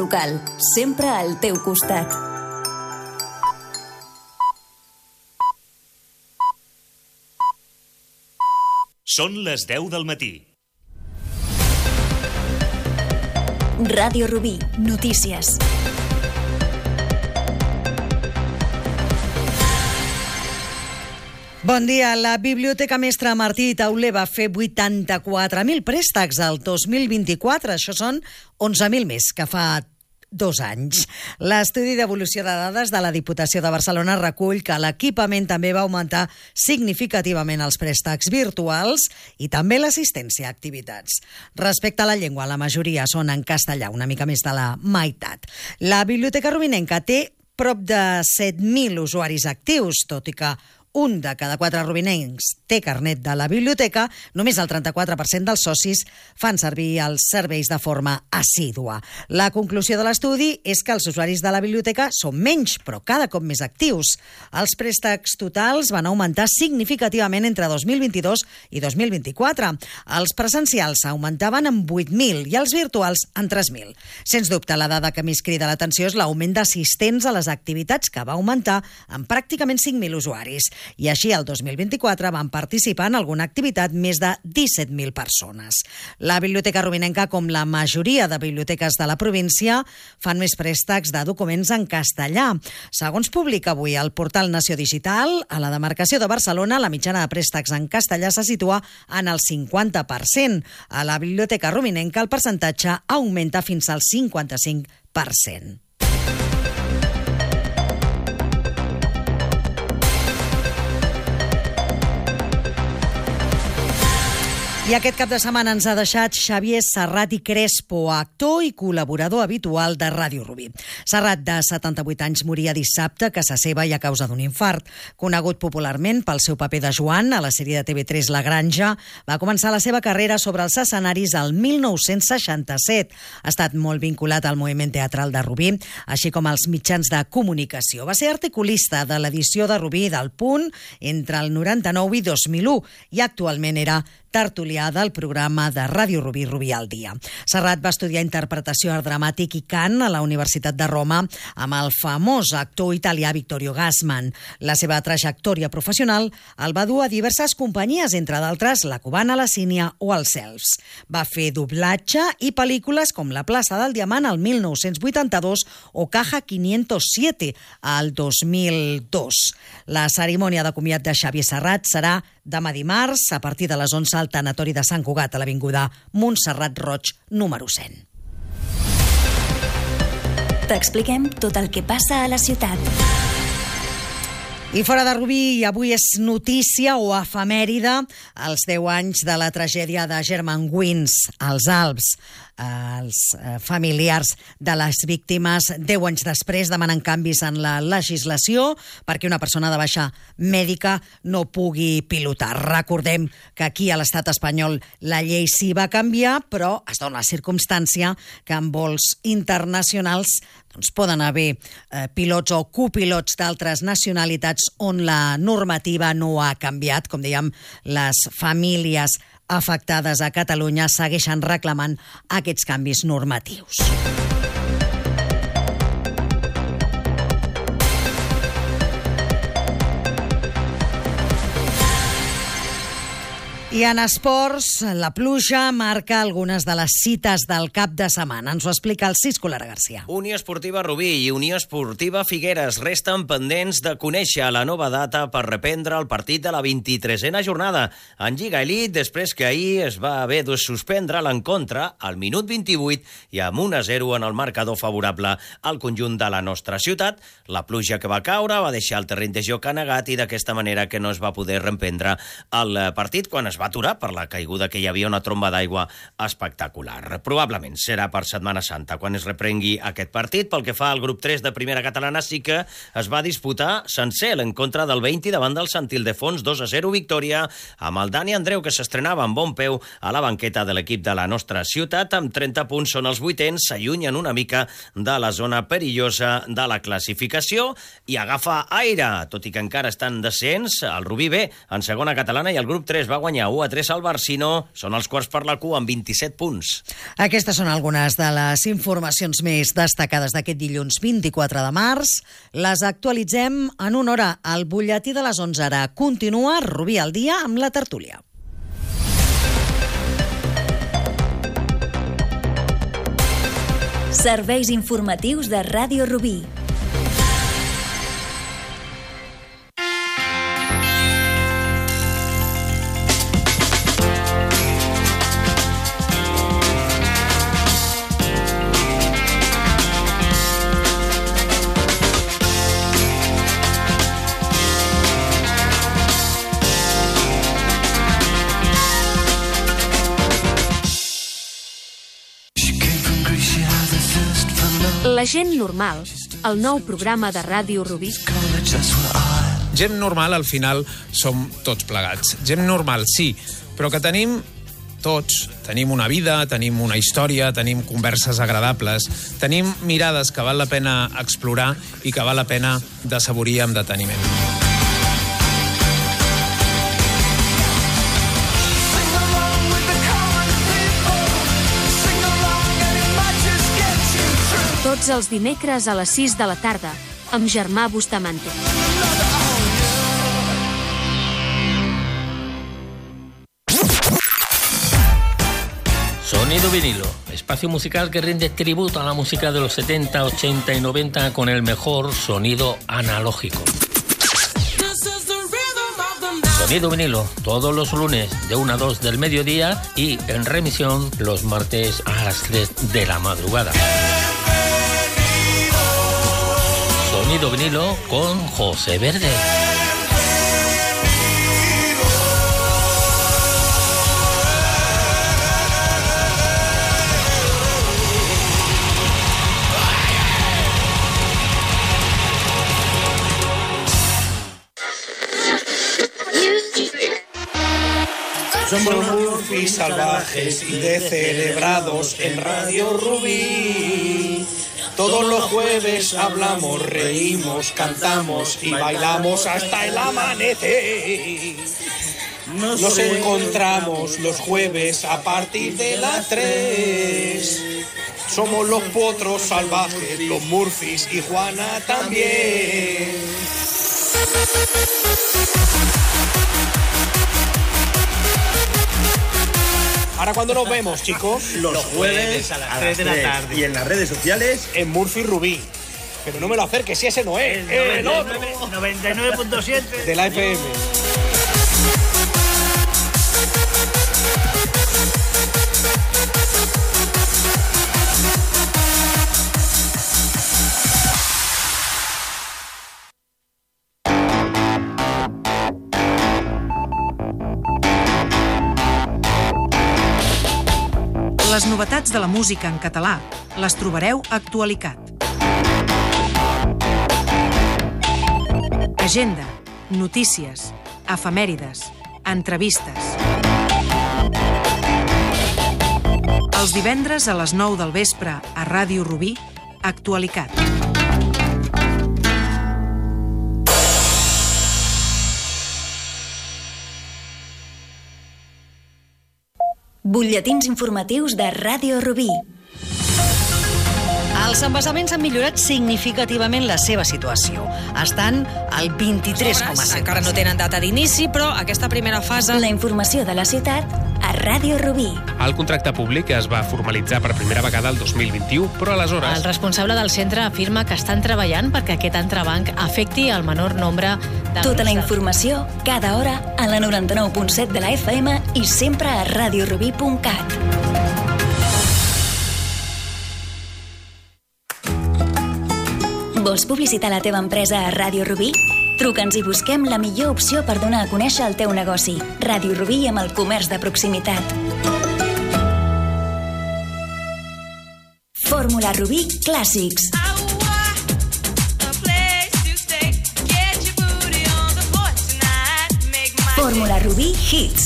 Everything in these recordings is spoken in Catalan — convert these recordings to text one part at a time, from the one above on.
local, sempre al teu costat. Són les 10 del matí. Ràdio Rubí, notícies. Bon dia. La Biblioteca Mestre Martí Tauler va fer 84.000 préstecs al 2024. Això són 11.000 més que fa 2 anys. L'estudi d'evolució de dades de la Diputació de Barcelona recull que l'equipament també va augmentar significativament els préstecs virtuals i també l'assistència a activitats. Respecte a la llengua, la majoria són en castellà, una mica més de la meitat. La Biblioteca Rubinenca té prop de 7.000 usuaris actius, tot i que un de cada 4 rubinencs té carnet de la biblioteca, només el 34% dels socis fan servir els serveis de forma assídua. La conclusió de l'estudi és que els usuaris de la biblioteca són menys, però cada cop més actius. Els préstecs totals van augmentar significativament entre 2022 i 2024. Els presencials augmentaven en 8.000 i els virtuals en 3.000. Sens dubte, la dada que més crida l'atenció és l'augment d'assistents a les activitats, que va augmentar en pràcticament 5.000 usuaris. I així, el 2024 van participar en alguna activitat més de 17.000 persones. La Biblioteca Rubinenca, com la majoria de biblioteques de la província, fan més préstecs de documents en castellà. Segons publica avui el portal Nació Digital, a la demarcació de Barcelona, la mitjana de préstecs en castellà se situa en el 50%. A la Biblioteca Rubinenca el percentatge augmenta fins al 55%. I aquest cap de setmana ens ha deixat Xavier Serrat i Crespo, actor i col·laborador habitual de Ràdio Rubí. Serrat, de 78 anys, moria dissabte a casa seva i a causa d'un infart. Conegut popularment pel seu paper de Joan a la sèrie de TV3 La Granja, va començar la seva carrera sobre els escenaris el 1967. Ha estat molt vinculat al moviment teatral de Rubí, així com als mitjans de comunicació. Va ser articulista de l'edició de Rubí del Punt entre el 99 i 2001 i actualment era tertulià del programa de Ràdio Rubí, Rubí al dia. Serrat va estudiar interpretació art dramàtic i cant a la Universitat de Roma amb el famós actor italià Vittorio Gassman. La seva trajectòria professional el va dur a diverses companyies, entre d'altres la cubana La Sínia o els Elfs. Va fer doblatge i pel·lícules com La plaça del Diamant al 1982 o Caja 507 al 2002. La cerimònia de comiat de Xavier Serrat serà demà dimarts a partir de les 11 al tanatori de Sant Cugat, a l'avinguda Montserrat Roig, número 100. T'expliquem tot el que passa a la ciutat. I fora de Rubí, avui és notícia o efemèride els 10 anys de la tragèdia de Germanwings, als Alps. Els familiars de les víctimes 10 anys després demanen canvis en la legislació perquè una persona de baixa mèdica no pugui pilotar. Recordem que aquí a l'estat espanyol la llei sí va canviar, però es dona la circumstància que en vols internacionals poden haver pilots o copilots d'altres nacionalitats on la normativa no ha canviat. Com dèiem, les famílies afectades a Catalunya segueixen reclamant aquests canvis normatius. I en esports, la pluja marca algunes de les cites del cap de setmana. Ens ho explica el Cisco Lara Garcia. Unió Esportiva Rubí i Unió Esportiva Figueres resten pendents de conèixer la nova data per reprendre el partit de la 23a jornada en Lliga Elite, després que ahir es va haver de suspendre l'encontre al minut 28 i amb 1-0 en el marcador favorable al conjunt de la nostra ciutat. La pluja que va caure va deixar el terreny de joc anegat i d'aquesta manera que no es va poder reprendre el partit quan es va aturar per la caiguda que hi havia una tromba d'aigua espectacular. Probablement serà per Setmana Santa quan es reprengui aquest partit. Pel que fa al grup 3 de primera catalana, sí que es va disputar sencer l'encontre del 20 davant del Sant Ildefons, 2-0 victòria, amb el Dani Andreu, que s'estrenava amb bon peu a la banqueta de l'equip de la nostra ciutat. Amb 30 punts són els 8ens, s'allunyen una mica de la zona perillosa de la classificació i agafa aire, tot i que encara està en descens. El Rubí B en segona catalana i el grup 3 va guanyar 1-3 al Barcino, són els quarts per la cua amb 27 punts. Aquestes són algunes de les informacions més destacades d'aquest dilluns 24 de març. Les actualitzem en una hora. El butlletí de les 11 ara continua. Rubí al dia amb la tertúlia. Serveis informatius de Ràdio Rubí. La gent normal, el nou programa de Ràdio Rubí. Gent normal, al final, som tots plegats. Gent normal, sí, però que tenim una vida, tenim una història, tenim converses agradables, tenim mirades que val la pena explorar i que val la pena d'assaborir amb deteniment. Tots els dimecres a les 6 de la tarda, amb Germà Bustamante. Sonido vinilo, espacio musical que rinde tributo a la música de los 70, 80 y 90 con el mejor sonido analógico. Sonido vinilo, todos los lunes de 1 a 2 del mediodía y en remisión los martes a las 3 de la madrugada. Sonido vinilo con José Verde. Somos Murphys salvajes y descerebrados en Radio Rubí. Todos los jueves hablamos, reímos, cantamos y bailamos hasta el amanecer. Nos encontramos los jueves a partir de las 3. Somos los potros salvajes, los Murphys y Juana también. ¿Ahora cuándo nos vemos, chicos? Los jueves a las 3 de la tarde. Y en las redes sociales, en Murphy Rubí. Pero no me lo acerques, si ese no es. El otro. 99.7 de la FM. Les novetats de la música en català les trobareu a Actualicat. Agenda, notícies, efemèrides, entrevistes. Els divendres a les 9 del vespre a Ràdio Rubí, Actualicat. Butlletins informatius de Ràdio Rubí. Els embassaments han millorat significativament la seva situació. Estan al 23,7%. Encara no tenen data d'inici, però aquesta primera fase... La informació de la ciutat a Ràdio Rubí. El contracte públic es va formalitzar per primera vegada el 2021, però aleshores... El responsable del centre afirma que estan treballant perquè aquest entrebanc afecti el menor nombre de... Tota la informació, cada hora, a la 99.7 de la FM i sempre a radiorubí.cat. Vols publicitar la teva empresa a Ràdio Rubí? Truca'ns i busquem la millor opció per donar a conèixer el teu negoci. Ràdio Rubí amb el comerç de proximitat. Fórmula Rubí Clàssics. Fórmula Rubí Hits.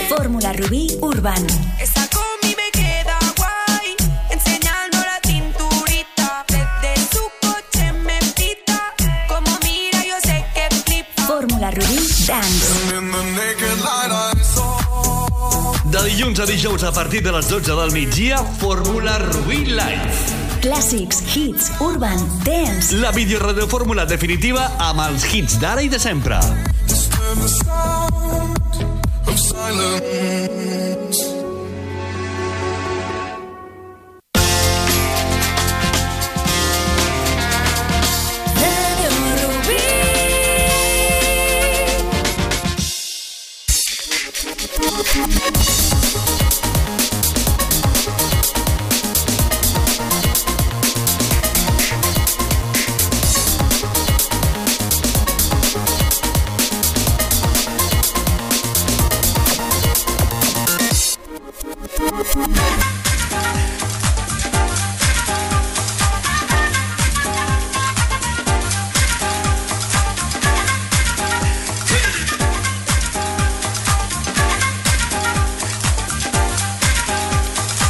Fórmula Rubí Urban. Está con mi me queda Fórmula Rubí Dance. De dilluns a dijous a partir de les 12 del migdia, Fórmula Rubí Live. Clàssics, hits, urban, dance. La videoradiofórmula definitiva amb els hits d'ara i de sempre.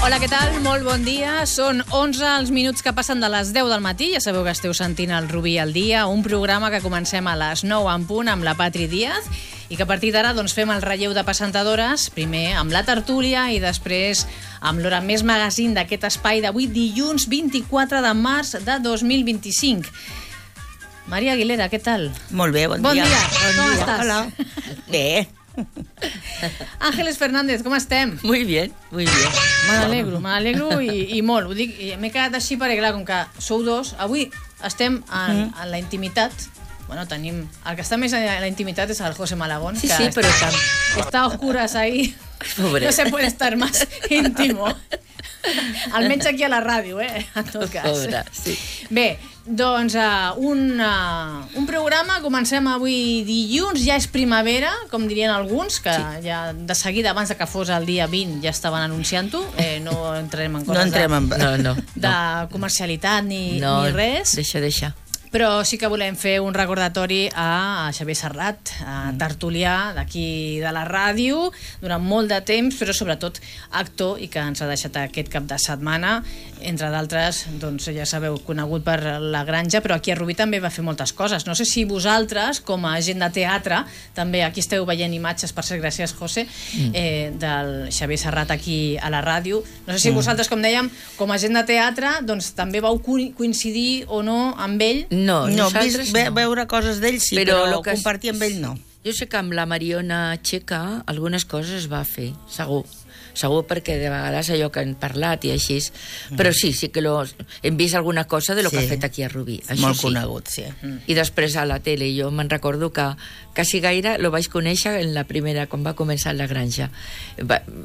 Hola, què tal? Molt bon dia. Són 11 els minuts que passen de les 10 del matí. Ja sabeu que esteu sentint el Rubí al dia, un programa que comencem a les 9 en punt amb la Patri Díaz i que a partir d'ara fem el relleu de presentadores, primer amb la tertúlia i després amb l'Hora Més Magazine d'aquest espai d'avui, dilluns 24 de març de 2025. Maria Aguilera, què tal? Molt bé, bon dia. Bon dia. Com estàs? Hola. Bé. Ángeles Fernández, com estem? Muy bien, muy bien. Me n'alegro i molt. Ho dic, m'he quedat així perquè, clar, com que sou dos, avui estem en la intimitat. Bueno, tenim... El que està més en la intimitat és el José Malagón. Sí, sí, però está a oscuras ahí. Pobre. No se puede estar más íntimo. Almenys aquí a la ràdio, en tot cas. Pobre, sí. Bé, doncs un programa, comencem avui dilluns, ja és primavera, com dirien alguns, que ja de seguida, abans que fos el dia 20, ja estaven anunciant-ho. No entrem en coses de comercialitat ni res. Deixa. Però sí que volem fer un recordatori a Xavier Serrat, tertulià d'aquí de la ràdio, durant molt de temps, però sobretot actor, i que ens ha deixat aquest cap de setmana, entre d'altres, doncs ja sabeu, conegut per La Granja, però aquí a Rubí també va fer moltes coses. No sé si vosaltres, com a gent de teatre, també aquí esteu veient imatges, per cert, gràcies, José, del Xavier Serrat aquí a la ràdio. No sé si vosaltres, com dèiem, com a gent de teatre, doncs també vau coincidir o no amb ell. No, nosaltres veure coses d'ell sí, però compartir amb ell no. Jo sé que amb la Mariona Checa algunes coses es va fer, segur perquè de vegades allò que han parlat i així, però sí que hem vist alguna cosa de lo que ha fet aquí a Rubí. Molt conegut, sí. I després a la tele, jo me'n recordo que quasi gaire lo vaig conèixer en la primera, quan va començar La Granja.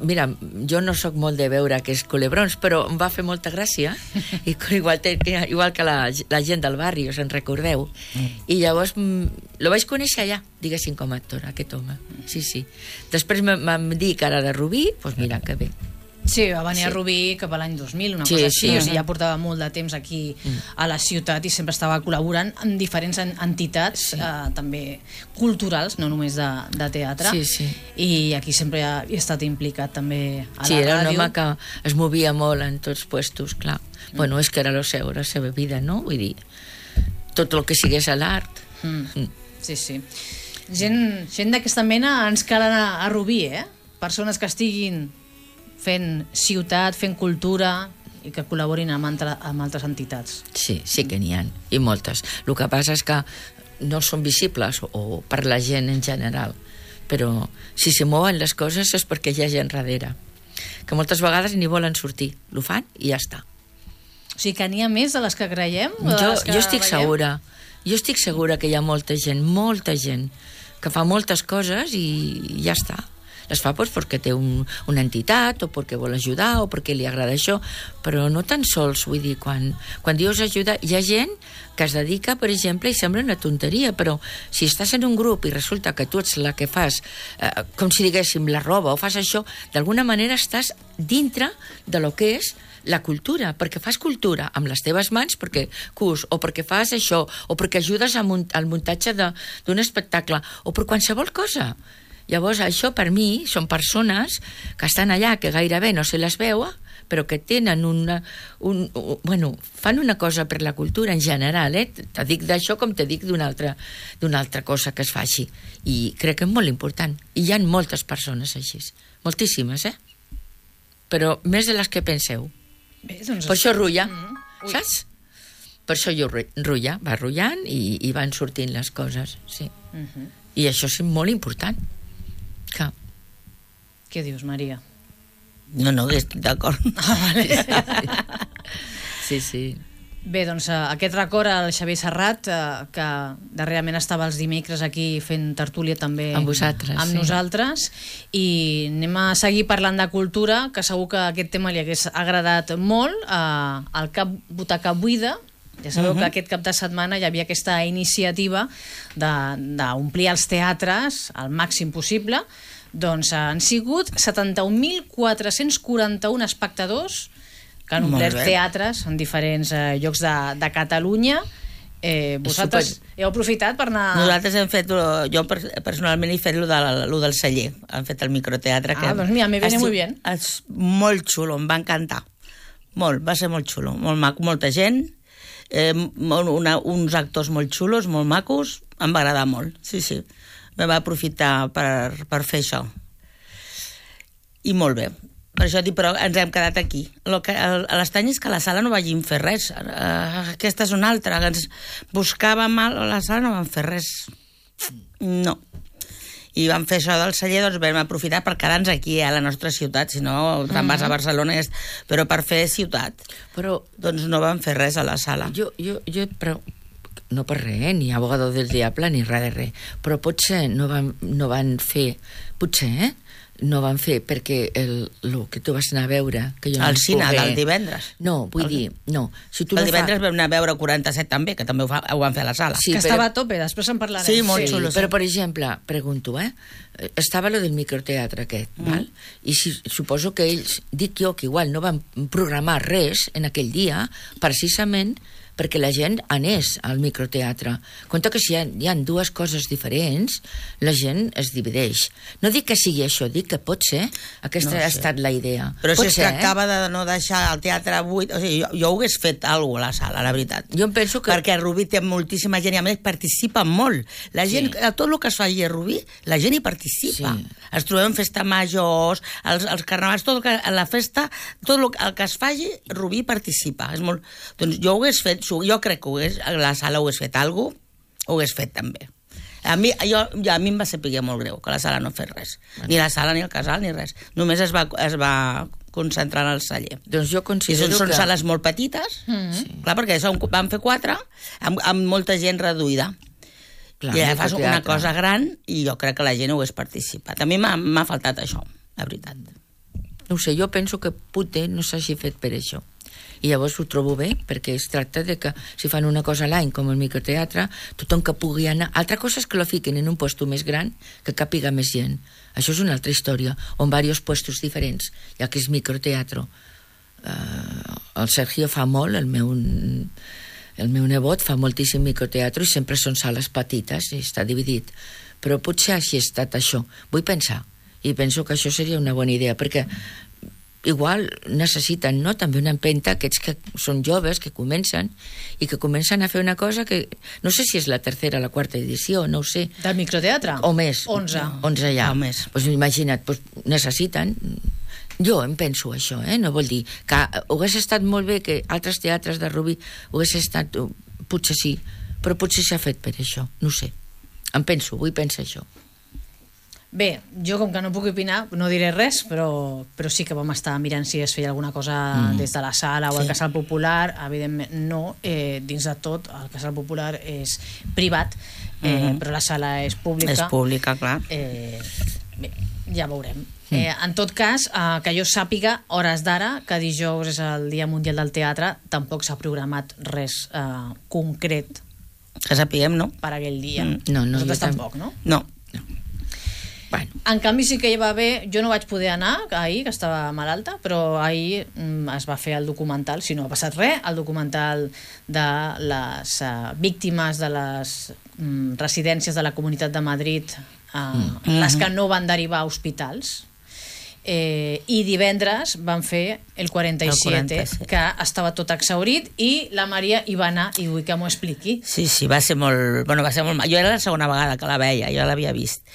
Mira, jo no sóc molt de veure aquests culebrons, però em va fer molta gràcia, igual que la gent del barri, us en recordeu. I llavors lo vaig conèixer allà, diguéssim, com a actor, aquest home. Sí. Després m'han dit que era de Rubí, doncs mira, que bé. Sí, va venir a Rubí cap a l'any 2000, una cosa així, o sigui, ja portava molt de temps aquí a la ciutat i sempre estava col·laborant en diferents entitats, també culturals, no només de teatre, i aquí sempre ha estat implicat també a la ràdio. Sí, era un home que es movia molt en tots puestos, clar. Bueno, és que era la seva vida, no? Vull dir, tot el que sigués a l'art. Sí. Gent d'aquesta mena ens cal anar a Rubí, persones que estiguin fent ciutat, fent cultura i que col·laborin amb altres entitats. Sí que n'hi ha, i moltes. El que passa és que no són visibles o per la gent en general, però si se mouen les coses és perquè hi ha gent darrere, que moltes vegades ni volen sortir, ho fan i ja està. O sigui que n'hi ha més de les que creiem? Jo estic segura que hi ha molta gent que fa moltes coses i ja està. Les fa perquè té una entitat o perquè vol ajudar o perquè li agrada això, però no tan sols, vull dir, quan dius ajudar, hi ha gent que es dedica, per exemple, i sembla una tonteria, però si estàs en un grup i resulta que tu ets la que fas, com si diguéssim, la roba o fas això, d'alguna manera estàs dintre de lo que és la cultura, perquè fas cultura amb les teves mans, perquè cus, o perquè fas això, o perquè ajudes al muntatge d'un espectacle, o per qualsevol cosa. Llavors, això per mi són persones que estan allà, que gairebé no se les veu, però que tenen fan una cosa per la cultura en general, te dic d'això com te dic d'una altra cosa que es faci, i crec que és molt important, i hi ha moltes persones així, moltíssimes, però més de les que penseu. Bé, doncs... Per això rulla, saps? Per això jo rulla, va rullant i van sortint les coses, sí. I això és molt important. Què dius, Maria? No, estic d'acord. Vale. Sí. Bé, doncs aquest record al Xavier Serrat, que darrerament estava els dimecres aquí fent tertúlia també amb vosaltres, amb nosaltres, i anem a seguir parlant de cultura, que segur que aquest tema li hagués agradat molt al Cap Butaca Buida. Ja sabeu que aquest cap de setmana hi havia aquesta iniciativa d'omplir els teatres al màxim possible. Doncs han sigut 71.441 espectadors que han omplert teatres en diferents llocs de Catalunya. Vosaltres heu aprofitat per anar... Nosaltres hem fet, jo personalment he fet lo del celler, hem fet el microteatre. Doncs mira, me viene muy bien. És molt xulo, em va encantar. Molt, va ser molt xulo, molt maco, molta gent, uns actors molt xulos, molt macos, em va agradar molt, sí. Me va aprofitar per fer això. I molt bé. Per això dic, però ens hem quedat aquí. L'estrany és que a la sala no vagin fer res. Aquesta és una altra. Ens buscàvem a la sala, no vam fer res. No. I vam fer això del celler, doncs vam aprofitar per quedar-nos aquí a la nostra ciutat, si no te'n vas a Barcelona, però per fer ciutat. Doncs no vam fer res a la sala. Però no per res, ni abogado del diable ni res de res, però potser no van fer, no van fer perquè el que tu vas anar a veure que jo al cine del divendres. No, vull dir, no. Si tu el divendres vam anar a veure 47 també, que també ho van fer a la sala. Sí, que estava a tope, després en parlarem. Sí, molt xulo. Però, per exemple, pregunto, estava lo del microteatre aquest, val? I suposo que ells, dic jo, que igual no van programar res en aquell dia, precisament perquè la gent anés al microteatre. Compte que si hi ha dues coses diferents, la gent es divideix. No dic que sigui això, dic que pot ser. Aquesta ha estat la idea. Però si es tractava de no deixar el teatre buit... O sigui, jo ho hagués fet alguna cosa a la sala, la veritat. Jo em penso que... Perquè a Rubí té moltíssima gent i a més participa molt. La gent, a tot el que es faci a Rubí, la gent hi participa. Es trobem festa majors, els carnavals, tot el que, a la festa, tot el que es faci, Rubí participa. És molt... Doncs jo ho hagués fet, jo crec que la sala ho hagués fet alguna cosa, ho hagués fet també. A mi em va saber molt greu que la sala no fes res. Ni la sala, ni el casal, ni res. Només es va concentrar en el celler. Doncs jo considero que... Són sales molt petites, clar, perquè vam fer 4 amb molta gent reduïda. Clar, i fas una cosa gran i jo crec que la gent ho hagués participat. A mi m'ha faltat això, la veritat. No ho sé, jo penso que potser no s'hagi fet per això. I llavors ho trobo bé, perquè es tracta de que si fan una cosa a l'any, com el microteatre, tothom que pugui anar... Altra cosa és que lo fiquen en un puesto més gran, que càpiga més gent. Això és una altra història, on diversos puestos diferents, ja que és microteatre. El Sergio fa molt, el meu nebot fa moltíssim microteatre i sempre són sales petites i està dividit. Però potser així ha estat això. Vull pensar, i penso que això seria una bona idea, perquè igual necessiten, no?, també una empenta aquests que són joves, que comencen i que comencen a fer una cosa que no sé si és la tercera o la quarta edició, no ho sé. Del microteatre? O més. 11 ja. O més. Pues imagina't, necessiten... Jo em penso això, no vol dir que hagués estat molt bé que altres teatres de Rubí hagués estat... Potser sí, però potser s'ha fet per això, no sé. Em penso, vull pensar això. Bé, jo com que no puc opinar no diré res, però sí que vam estar mirant si es feia alguna cosa des de la sala o al Casal Popular. Evidentment no, dins de tot el Casal Popular és privat, però la sala és pública. És pública, clar. Bé, ja veurem. En tot cas, que jo sàpiga, hores d'ara, que dijous és el Dia Mundial del Teatre, tampoc s'ha programat res concret. Que sapiguem, no? Per aquell dia. No, nosaltres tampoc, no? No. Bueno. En canvi sí que hi va haver, jo no vaig poder anar ahir, que estava malalta, però ahir es va fer el documental, si no ha passat res, el documental de les víctimes de les residències de la Comunitat de Madrid, les que no van derivar a hospitals. I divendres van fer el 47, que estava tot exhaurit, i la Maria hi va anar, i vull que m'ho expliqui. Sí, va ser molt... Jo era la segona vegada que la veia, jo l'havia vist.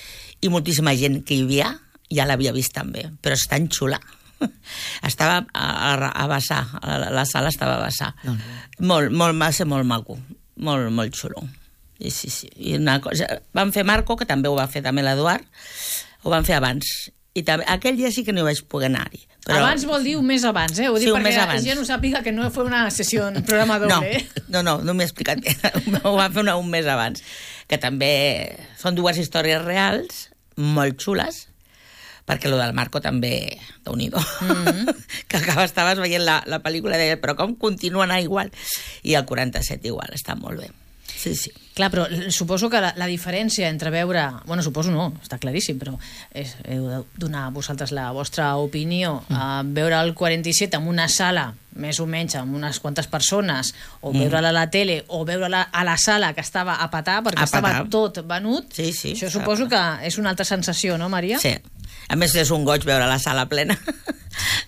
I moltíssima gent que hi havia ja l'havia vist també, però és tan xula. Estava a vessar, la sala estava a vessar. Va ser molt maco, molt xulo. Sí. I una cosa, van fer Marco, que també ho va fer també l'Eduard, ho van fer abans. I també, aquell dia sí que no hi vaig poder anar-hi. Però... Abans vol dir un mes abans, Ho dic perquè la gent no sàpiga que no fue una sessió, un programa doble. No m'he explicat bé. Ho van fer un mes abans. Que també són dues històries reals, molt xules, perquè lo del Marco també, déu-n'hi-do, que estaves veient la pel·lícula i deia, però com continua anar igual? I el 47 igual, està molt bé. Sí. Clar, però suposo que la diferència entre veure... Bueno, suposo no, està claríssim, però heu de donar a vosaltres la vostra opinió. Veure el 47 en una sala, més o menys, amb unes quantes persones, o veure-la a la tele, o veure-la a la sala, que estava a petar, perquè estava tot venut. Sí. Això suposo que és una altra sensació, no, Maria? Sí. A més, és un goig veure la sala plena.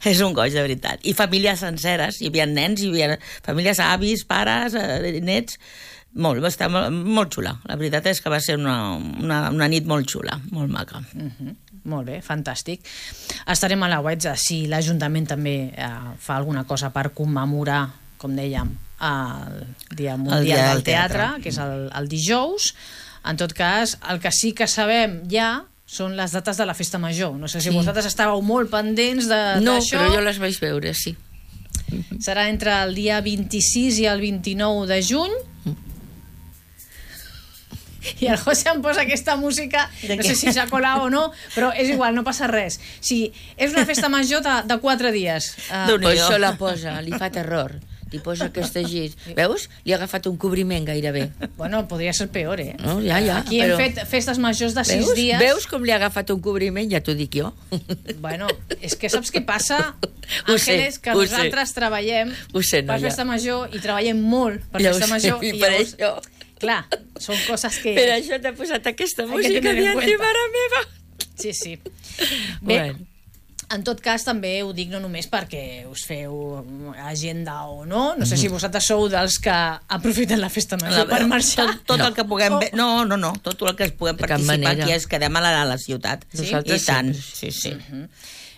És un goig, de veritat. I famílies senceres, hi havia nens, hi havia famílies, avis, pares, nets... Va estar molt xula. La veritat és que va ser una nit molt xula, molt maca. Molt bé, fantàstic. Estarem a la web si l'Ajuntament també fa alguna cosa per commemorar, com dèiem, el Dia Mundial del Teatre, que és el dijous. En tot cas, el que sí que sabem ja són les dates de la Festa Major. No sé si vosaltres estàveu molt pendents d'això. No, però jo les vaig veure, sí. Serà entre el dia 26 i el 29 de juny. I el José em posa aquesta música, no sé si s'ha colat o no, però és igual, no passa res. Sí, és una festa major de 4 dies. Pues això la posa, li fa terror. Li posa aquesta gir. Veus? Li ha agafat un cobriment gairebé. Bueno, podria ser peor, No, ja, aquí hem fet festes majors de 6 dies. Veus com li ha agafat un cobriment? Ja t'ho dic jo. Bueno, és que saps què passa, Àngeles? Que nosaltres treballem per festa major i treballem molt per festa major. I per això... Clar, són coses que... Per això t'ha posat aquesta música dient, mare meva. Sí. Bé, en tot cas, també ho dic no només perquè us feu agenda o no, no sé si vosaltres sou dels que aprofiten la festa major per marxar. Tot el que puguem... No, tot el que puguem participar aquí és quedem a la ciutat. I tant, sí.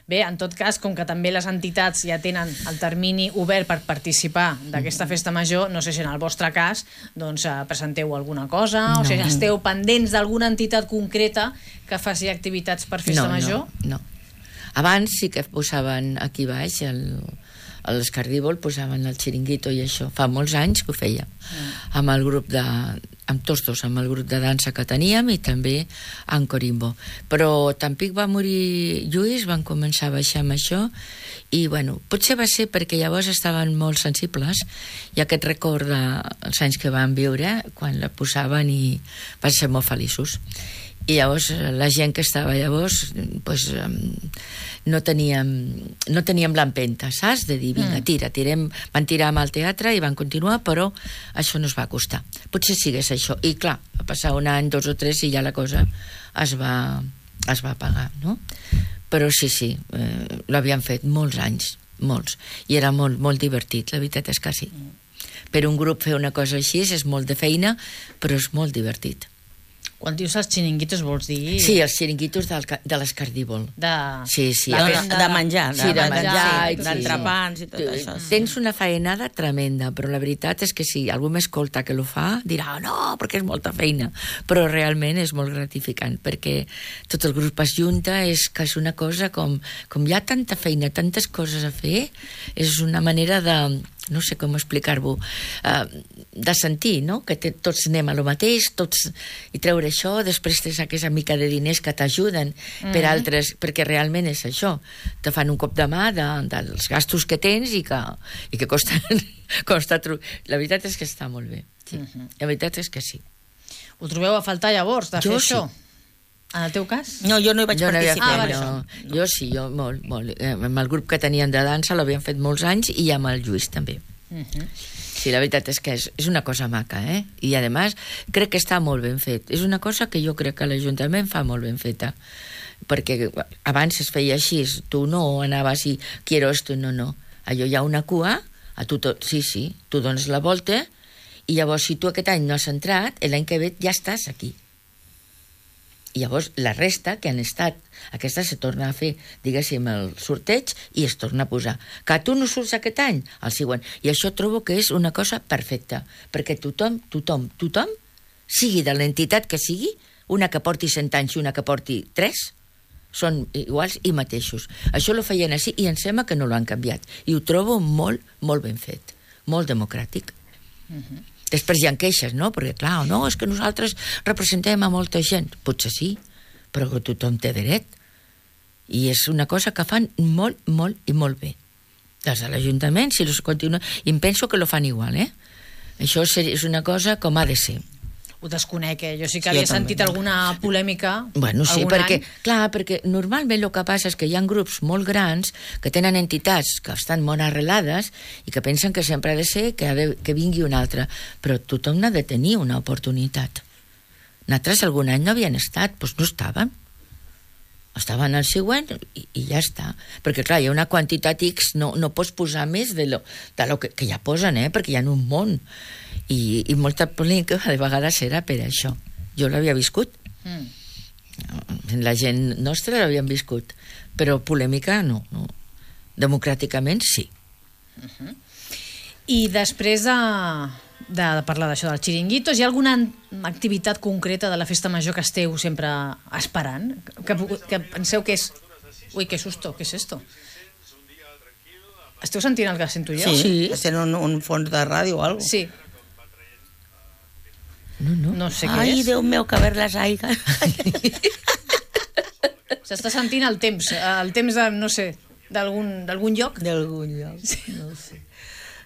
Bé, en tot cas, com que també les entitats ja tenen el termini obert per participar d'aquesta festa major, no sé si en el vostre cas doncs presenteu alguna cosa, o sigui, esteu pendents d'alguna entitat concreta que faci activitats per festa major? No. Abans sí que posaven aquí baix, a l'Escardívol posaven el xiringuito i això. Fa molts anys que ho feia. Amb el grup amb tots dos, amb el grup de dansa que teníem i també en Corimbo. Però Tampic va morir Lluís, van començar a baixar amb això i, bueno, potser va ser perquè llavors estaven molt sensibles i aquest record dels anys que van viure quan la posaven i van ser molt feliços. I llavors la gent que estava llavors pues, no teníem l'empenta, saps? De dir, vinga, tirem. Van tirar amb el teatre i van continuar, però això no es va costar. Potser sigués això. I clar, va passar un any, 2 o 3 i ja la cosa es va apagar, no? Però sí, l'havien fet molts anys, molts. I era molt, molt divertit, la veritat és que sí. Per un grup fer una cosa així és molt de feina, però és molt divertit. Quan dius els xiringuitos vols dir... Sí, els xiringuitos de l'Escardívol. Sí. De menjar. Sí, de menjar. D'entrepans i tot això. Tens una faenada tremenda, però la veritat és que si algú m'escolta que lo fa, dirà, no, perquè és molta feina. Però realment és molt gratificant, perquè tot el grup es junta, és que és una cosa com hi ha tanta feina, tantes coses a fer, és una manera de... no sé com explicar-ho, de sentir, no? Que tots anem a lo mateix, tots, i treure això, després tens aquesta mica de diners que t'ajuden per altres, perquè realment és això, te fan un cop de mà dels gastos que tens i que costa la veritat és que està molt bé, sí. La veritat és que sí. Ho trobeu a faltar llavors de fer això? En el teu cas? No, jo no hi vaig participar. Jo sí, molt. Amb el grup que tenien de dansa l'havien fet molts anys i amb el Lluís també. Sí, la veritat és que és una cosa maca, I, a més, crec que està molt ben fet. És una cosa que jo crec que l'Ajuntament fa molt ben feta. Perquè abans es feia així, tu no anaves i quiero esto, no. Allò hi ha una cua, sí, tu dones la volta, i llavors, si tu aquest any no has entrat, l'any que ve ja estàs aquí. I llavors la resta que han estat, aquesta se torna a fer, diguéssim, el sorteig i es torna a posar. Que tu no surts aquest any, el següent. I això trobo que és una cosa perfecta, perquè tothom, sigui de l'entitat que sigui, una que porti 100 anys i una que porti 3, són iguals i mateixos. Això lo feien així i em sembla que no l'han canviat. I ho trobo molt, molt ben fet, molt democràtic. Després hi ha queixes, no? Perquè, clar, no, és que nosaltres representem a molta gent. Potser sí, però tothom té dret. I és una cosa que fan molt, molt i molt bé. Des de l'Ajuntament, si los continuen... I em penso que lo fan igual, Això és una cosa com ha de ser. Ho desconec, Jo sí que havia sentit alguna polèmica. Bueno, sí, perquè normalment el que passa és que hi ha grups molt grans que tenen entitats que estan molt arrelades i que pensen que sempre ha de ser que vingui un altre. Però tothom ha de tenir una oportunitat. Nosaltres algun any no havien estat, doncs no estàvem. Estaven al següent i ja està. Perquè, clar, hi ha una quantitat X, no pots posar més de lo que ja posen, perquè hi ha un món. I molta polèmica de vegades era per això. Jo l'havia viscut. La gent nostra l'havien viscut. Però polèmica no. Democràticament sí. I després de parlar d'això dels xiringuitos, hi ha alguna activitat concreta de la festa major que esteu sempre esperant? Que penseu que és... Ui, que susto, què és esto? Esteu sentint el que sento jo? Sí, sent un fons de ràdio o alguna cosa. Sí. No sé què és. Ai, Déu meu, que ver les aigues. S'està sentint el temps de, no sé, d'algun lloc? D'algun lloc, no sé.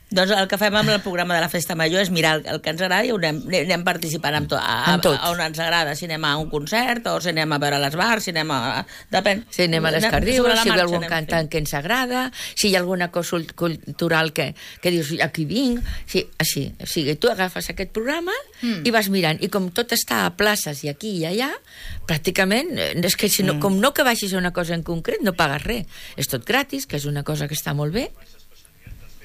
Doncs el que fem amb el programa de la Festa Major és mirar el que ens agrada i anem participant amb tot. On ens agrada, si anem a un concert o si anem a veure les bars, si anem a... Depèn. Si anem a les Cardius, si hi ha algun cantant que ens agrada, si hi ha alguna cosa cultural que dius, aquí vinc, així. O sigui, tu agafes aquest programa i vas mirant. I com tot està a places i aquí i allà, pràcticament, és que com no que vagis a una cosa en concret, no pagues res. És tot gratis, que és una cosa que està molt bé.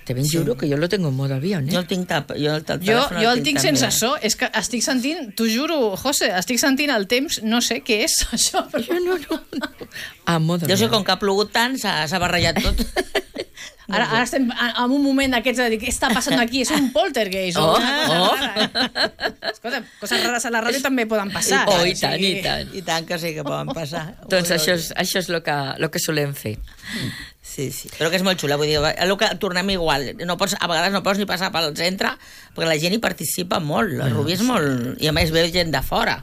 Te ben juro que jo lo tengo en modo avión, Jo el tinc jo el tinc sense so, és que estic sentint, t'ho juro, José, estic sentint el temps, no sé què és això. Jo no. A modo avión. Jo sé com que ha plogut tant, s'ha barrejat tot. Ara estem en un moment d'aquests de dir, què està passant aquí? És un poltergeist. Escolta, coses rares a la ràdio també poden passar. I tant. I tant que sí que poden passar. Doncs això és el que solem fer. Sí, però que és molt xula, vull dir, tornem igual, a vegades no pots ni passar pel centre, perquè la gent hi participa molt, el Rubí és molt... I a més ve gent de fora.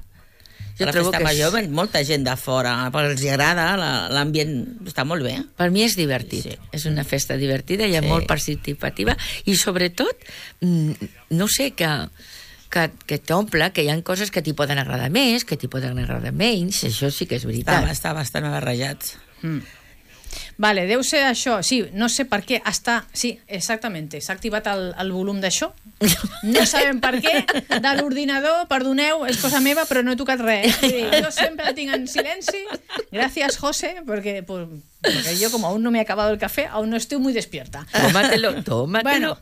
A la Festa Major ve molta gent de fora, perquè els agrada, l'ambient està molt bé. Per mi és divertit, és una festa divertida, hi ha molt participativa, i sobretot, no sé, que t'omple, que hi ha coses que t'hi poden agradar més, que t'hi poden agradar menys, això sí que és veritat. Està bastant barrejat. Vale, deu ser això, sí, no sé per què sí, exactament, s'ha activat el volum d'això, no sabem per què, de l'ordinador, perdoneu, és cosa meva, però no he tocat res, jo sempre el tinc en silenci, gràcies José, perquè yo como aún no me he acabado el café, aún no estoy muy despierta. Tómatelo. Bueno,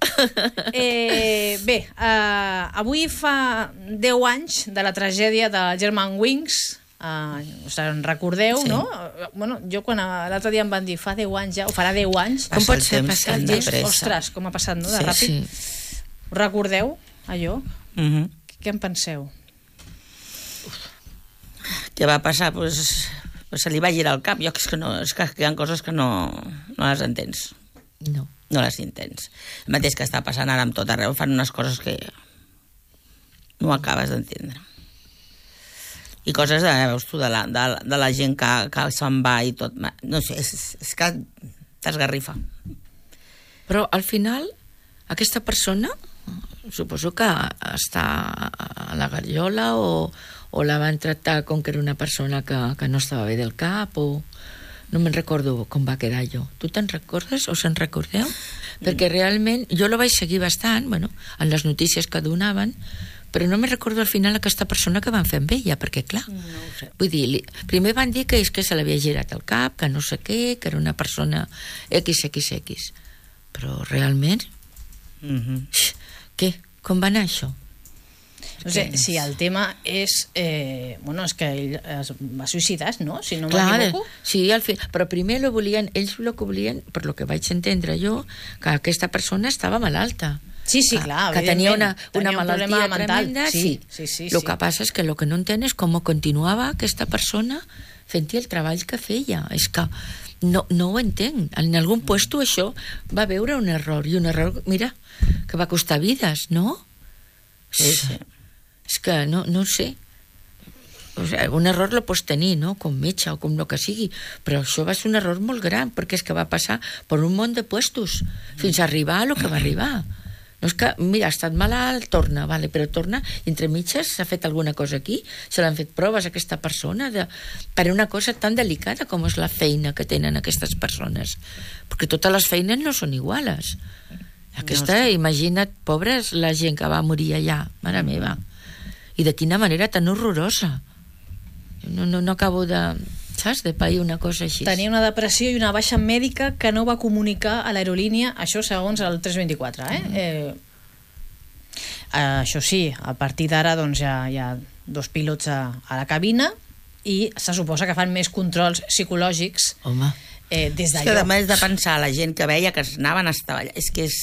bé, avui fa 10 anys de la tragèdia de Germanwings. En recordeu, no? Bueno, jo quan l'altre dia em van dir fa 10 anys ja, o farà 10 anys, com pot ser passat de pressa? Ostres, com ha passat, no? De ràpid. Us recordeu allò? Què en penseu? Què va passar? Pues se li va girar el cap. Jo és que hi ha coses que no les entens. No les entens. El mateix que està passant ara amb tot arreu, fan unes coses que no acabes d'entendre. I coses de la gent que se'n va i tot. No sé, és que t'esgarrifa. Però al final, aquesta persona, suposo que està a la garriola o la van tractar com que era una persona que no estava bé del cap o... No me'n recordo com va quedar jo. Tu te'n recordes o se'n recordeu? Perquè realment jo lo vaig seguir bastant, bueno, en les notícies que donaven, però no me recordo al final aquesta persona que van fer amb ella, perquè clar, vull dir, primer van dir que és que se l'havia girat el cap, que no sé què, que era una persona XXX, però realment què? Com va anar això? No sé, si el tema és... bueno, és que ell es va suïcidar, no? Si no m'equivoco. Sí, al fi, però primer lo volien, ells el que volien, per lo que vaig entendre jo, que aquesta persona estava malalta. Sí, sí, clar, que tenia una mental malaltia tremenda. Sí. Lo que passa és que lo que no entén és com continuava aquesta persona fent el treball que feia. És que no ho entenc. En algun puesto això va veure un error, i un error, mira, que va costar vides, no? Sí. És que no sé. O sigui, un error lo pots tenir, no? Com metge o com el que sigui, però això va ser un error molt gran, perquè és que va passar per un munt de puestos fins a arribar a lo que va arribar. No és que, mira, ha estat malalt, torna, vale, però torna, i entre mitges s'ha fet alguna cosa aquí, se l'han fet proves a aquesta persona per una cosa tan delicada com és la feina que tenen aquestes persones, perquè totes les feines no són iguales. Aquesta, imagina't, pobres, la gent que va morir allà, mare meva, i de quina manera tan horrorosa. No acabo de... saps? De pair una cosa així. Tenia una depressió i una baixa mèdica que no va comunicar a l'aerolínia, això segons el 324, això sí, a partir d'ara doncs hi ha 2 pilots a la cabina i se suposa que fan més controls psicològics des d'allò. És que a més de pensar la gent que veia que anaven a estar allà, és que és...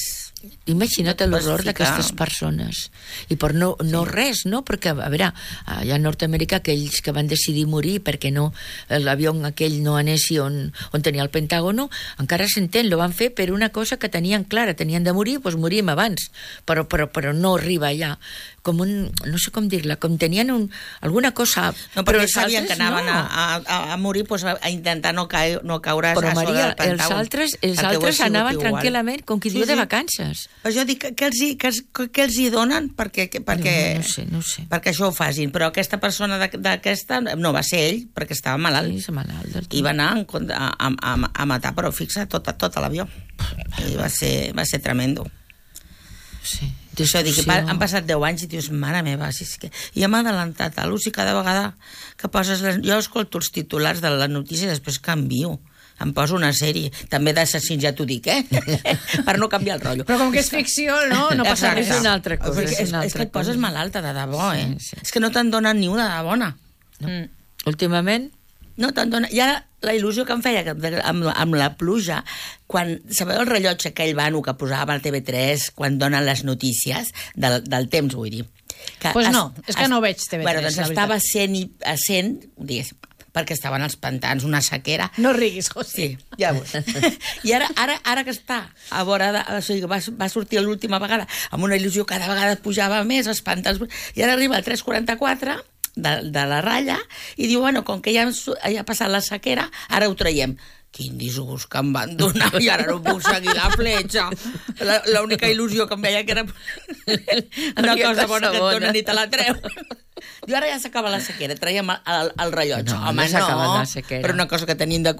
Imagina't l'horror d'aquestes persones, i per no res, no? Perquè, a veure, allà a Nord-Amèrica aquells que van decidir morir perquè no, l'avió aquell no anessi on tenia el Pentàgono, encara s'entén, lo van fer per una cosa que tenien clara, tenien de morir, doncs morim abans, però no arriba allà, com un, no sé com dir-la, com tenien alguna cosa... No, perquè sabien que anaven a morir, doncs a intentar no caure a sobre del Pentàgon. Els altres anaven tranquil·lament, com qui diu de vacances. Però jo dic, què els hi donen perquè no sé. Perquè això ho facin, però aquesta persona d'aquesta no va ser ell, perquè estava malalt. Sí, malalt del tot. I va anar a matar, però fixa, tot l'avió. I va ser tremendo. Sí. Això, dic, han passat 10 anys i dius, mare meva, ja m'ha adelantat a l'ús i cada vegada que poses... Jo escolto els titulars de la notícia i després canvio. Em poso una sèrie, també d'assassins, ja t'ho dic, per no canviar el rotllo. Però com que és ficció, no passa res. És una altra cosa. És que et poses malalta de debò, És que no te'n donen ni una de bona. Últimament? No te'n donen... I ara la il·lusió que em feia amb la pluja, quan sabeu el rellotge aquell vano que posava al TV3 quan donen les notícies del temps, vull dir. Doncs no, és que no veig TV3. Bueno, doncs estava a 100, diguéssim, perquè estaven als pantans, una sequera. No riguis, José. Sí, ja veus. I ara que està a vora o sigui, va sortir l'última vegada amb una il·lusió, cada vegada pujava més els pantans, i ara arriba al 3:44 de la ratlla i diu, bueno, com que ja ha passat la sequera, ara ho traiem. Quin disgust que em van donar, i ara no puc seguir la fletxa. L'única il·lusió que em veia que era una cosa bona que et donen i te la treu. Diu, ara ja s'acaba la sequera, traiem el rellotge. Home, no, però una cosa que tenim de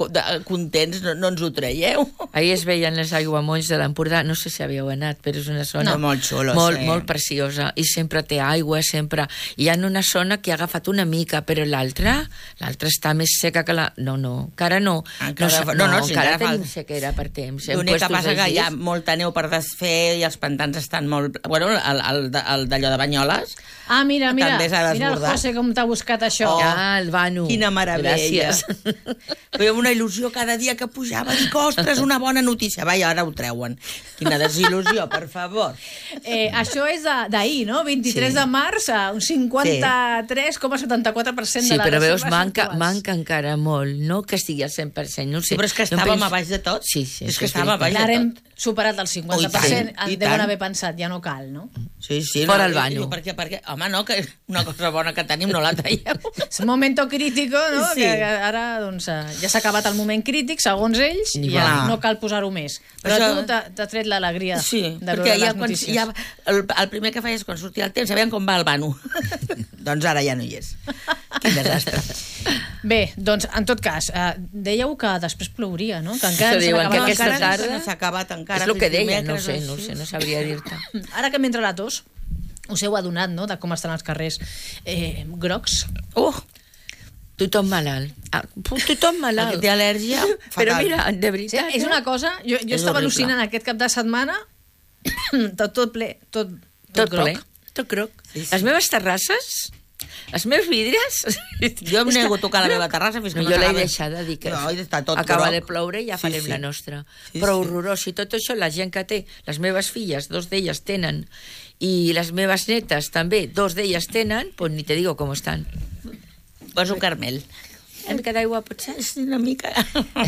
contents no ens ho traieu. Ahir es veien les aiguamolls de l'Empordà, no sé si havíeu anat, però és una zona molt xula, molt preciosa, i sempre té aigua, sempre. Hi ha una zona que ha agafat una mica, però l'altra està més seca que la... No, encara no. Encara tenim sequera per temps. L'únic que passa que hi ha molta neu per desfer i els pantans estan molt... Bueno, el d'allò de Banyoles... Ah, mira el desbordat. José com t'ha buscat això. El Vanu. Quina meravella. Feia una il·lusió cada dia que pujava. Dic, ostres, una bona notícia. Vaja, ara ho treuen. Quina desil·lusió, per favor. Això és d'ahir, no? 23 de març, un 53,74% de les Sí, però veus, manca encara molt. No que estigui al 100%, no sé. Sí, però és que estàvem a baix de tot. Sí. És que estàvem a baix de tot. Ara hem superat el 50%. Deuen haver pensat, ja no cal, no? Sí. Fora el banyo. Perquè, home, no, que una cosa bona que tenim no la traiem. És un moment crítico, no? Sí. Que ara doncs, ja s'ha acabat el moment crític, segons ells, i ja no cal posar-ho més. Però tu t'ha tret l'alegria de veure les notícies. El primer que feies quan sortia el temps, sabien com va el vano. Doncs ara ja no hi és. Quin desastre. Bé, doncs, en tot cas, dèieu que després plouria, no? Que encara aquesta tarda no s'ha acabat encara. És el que deia, no sé, no sabria dir-te. Ara que m'entra la tos, us heu adonat, no?, de com estan els carrers grocs. Tothom malalt. Tothom malalt. El que té al·lèrgia, fatal. Però mira, de veritat... Sí, és una cosa... Jo estava al·lucinant aquest cap de setmana, tot ple, tot groc. Tot groc. Les meves terrasses... Els meus vidres... Jo em nego a tocar la meva terrassa fins que no jo l'he deixada, dic que acaba de ploure i ja farem la nostra. Però horrorós, i tot això la gent que té, les meves filles, 2 d'elles tenen, i les meves netes també, 2 d'elles tenen, doncs ni te digo com estan. Posa un Carmel. Una mica d'aigua, potser? Sí, una mica.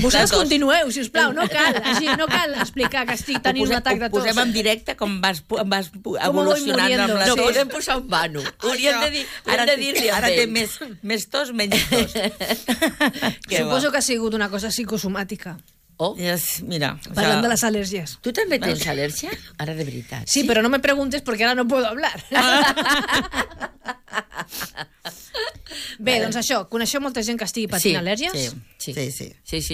Vosaltres continueu, sisplau, no cal explicar que estic tenint un atac de tos. Ho posem en directe com vas evolucionant amb la tos. No, podem posar un vano. Hauríem de dir-li ara té més tos, menys tos. Suposo que ha sigut una cosa psicosomàtica. Mira, parlant de les al·lèrgies. Tu també tens al·lèrgia? Ara de veritat. Sí, però no me preguntes porque ahora no puedo hablar. Bé, doncs això, coneixeu molta gent que estigui patint al·lèrgies? Sí,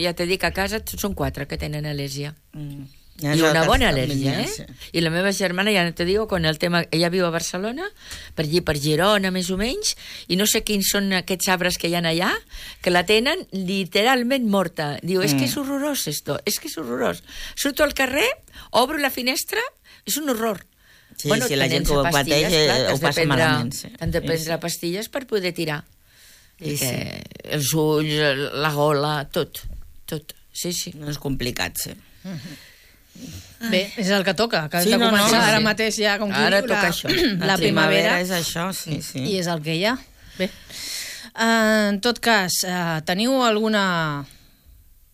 ja t'he dit que a casa són 4 que tenen al·lèrgia. I una bona al·lèrgia, I la meva germana, ja no te digo, con el tema... Ella viu a Barcelona, per allí, per Girona, més o menys, i no sé quins són aquests arbres que hi ha allà, que la tenen literalment morta. Diu, és que és horrorós esto, és que és horrorós. Surto al carrer, obro la finestra, és un horror. Sí, si la gent que ho pateix ho passa malament. Han de prendre pastilles per poder tirar. Els ulls, la gola, tot. Sí. No és complicat, sí. Bé, és el que toca, que de començar ara mateix ja com ara toca això. La primavera és això, sí. I és el que hi ha. Bé, en tot cas, teniu alguna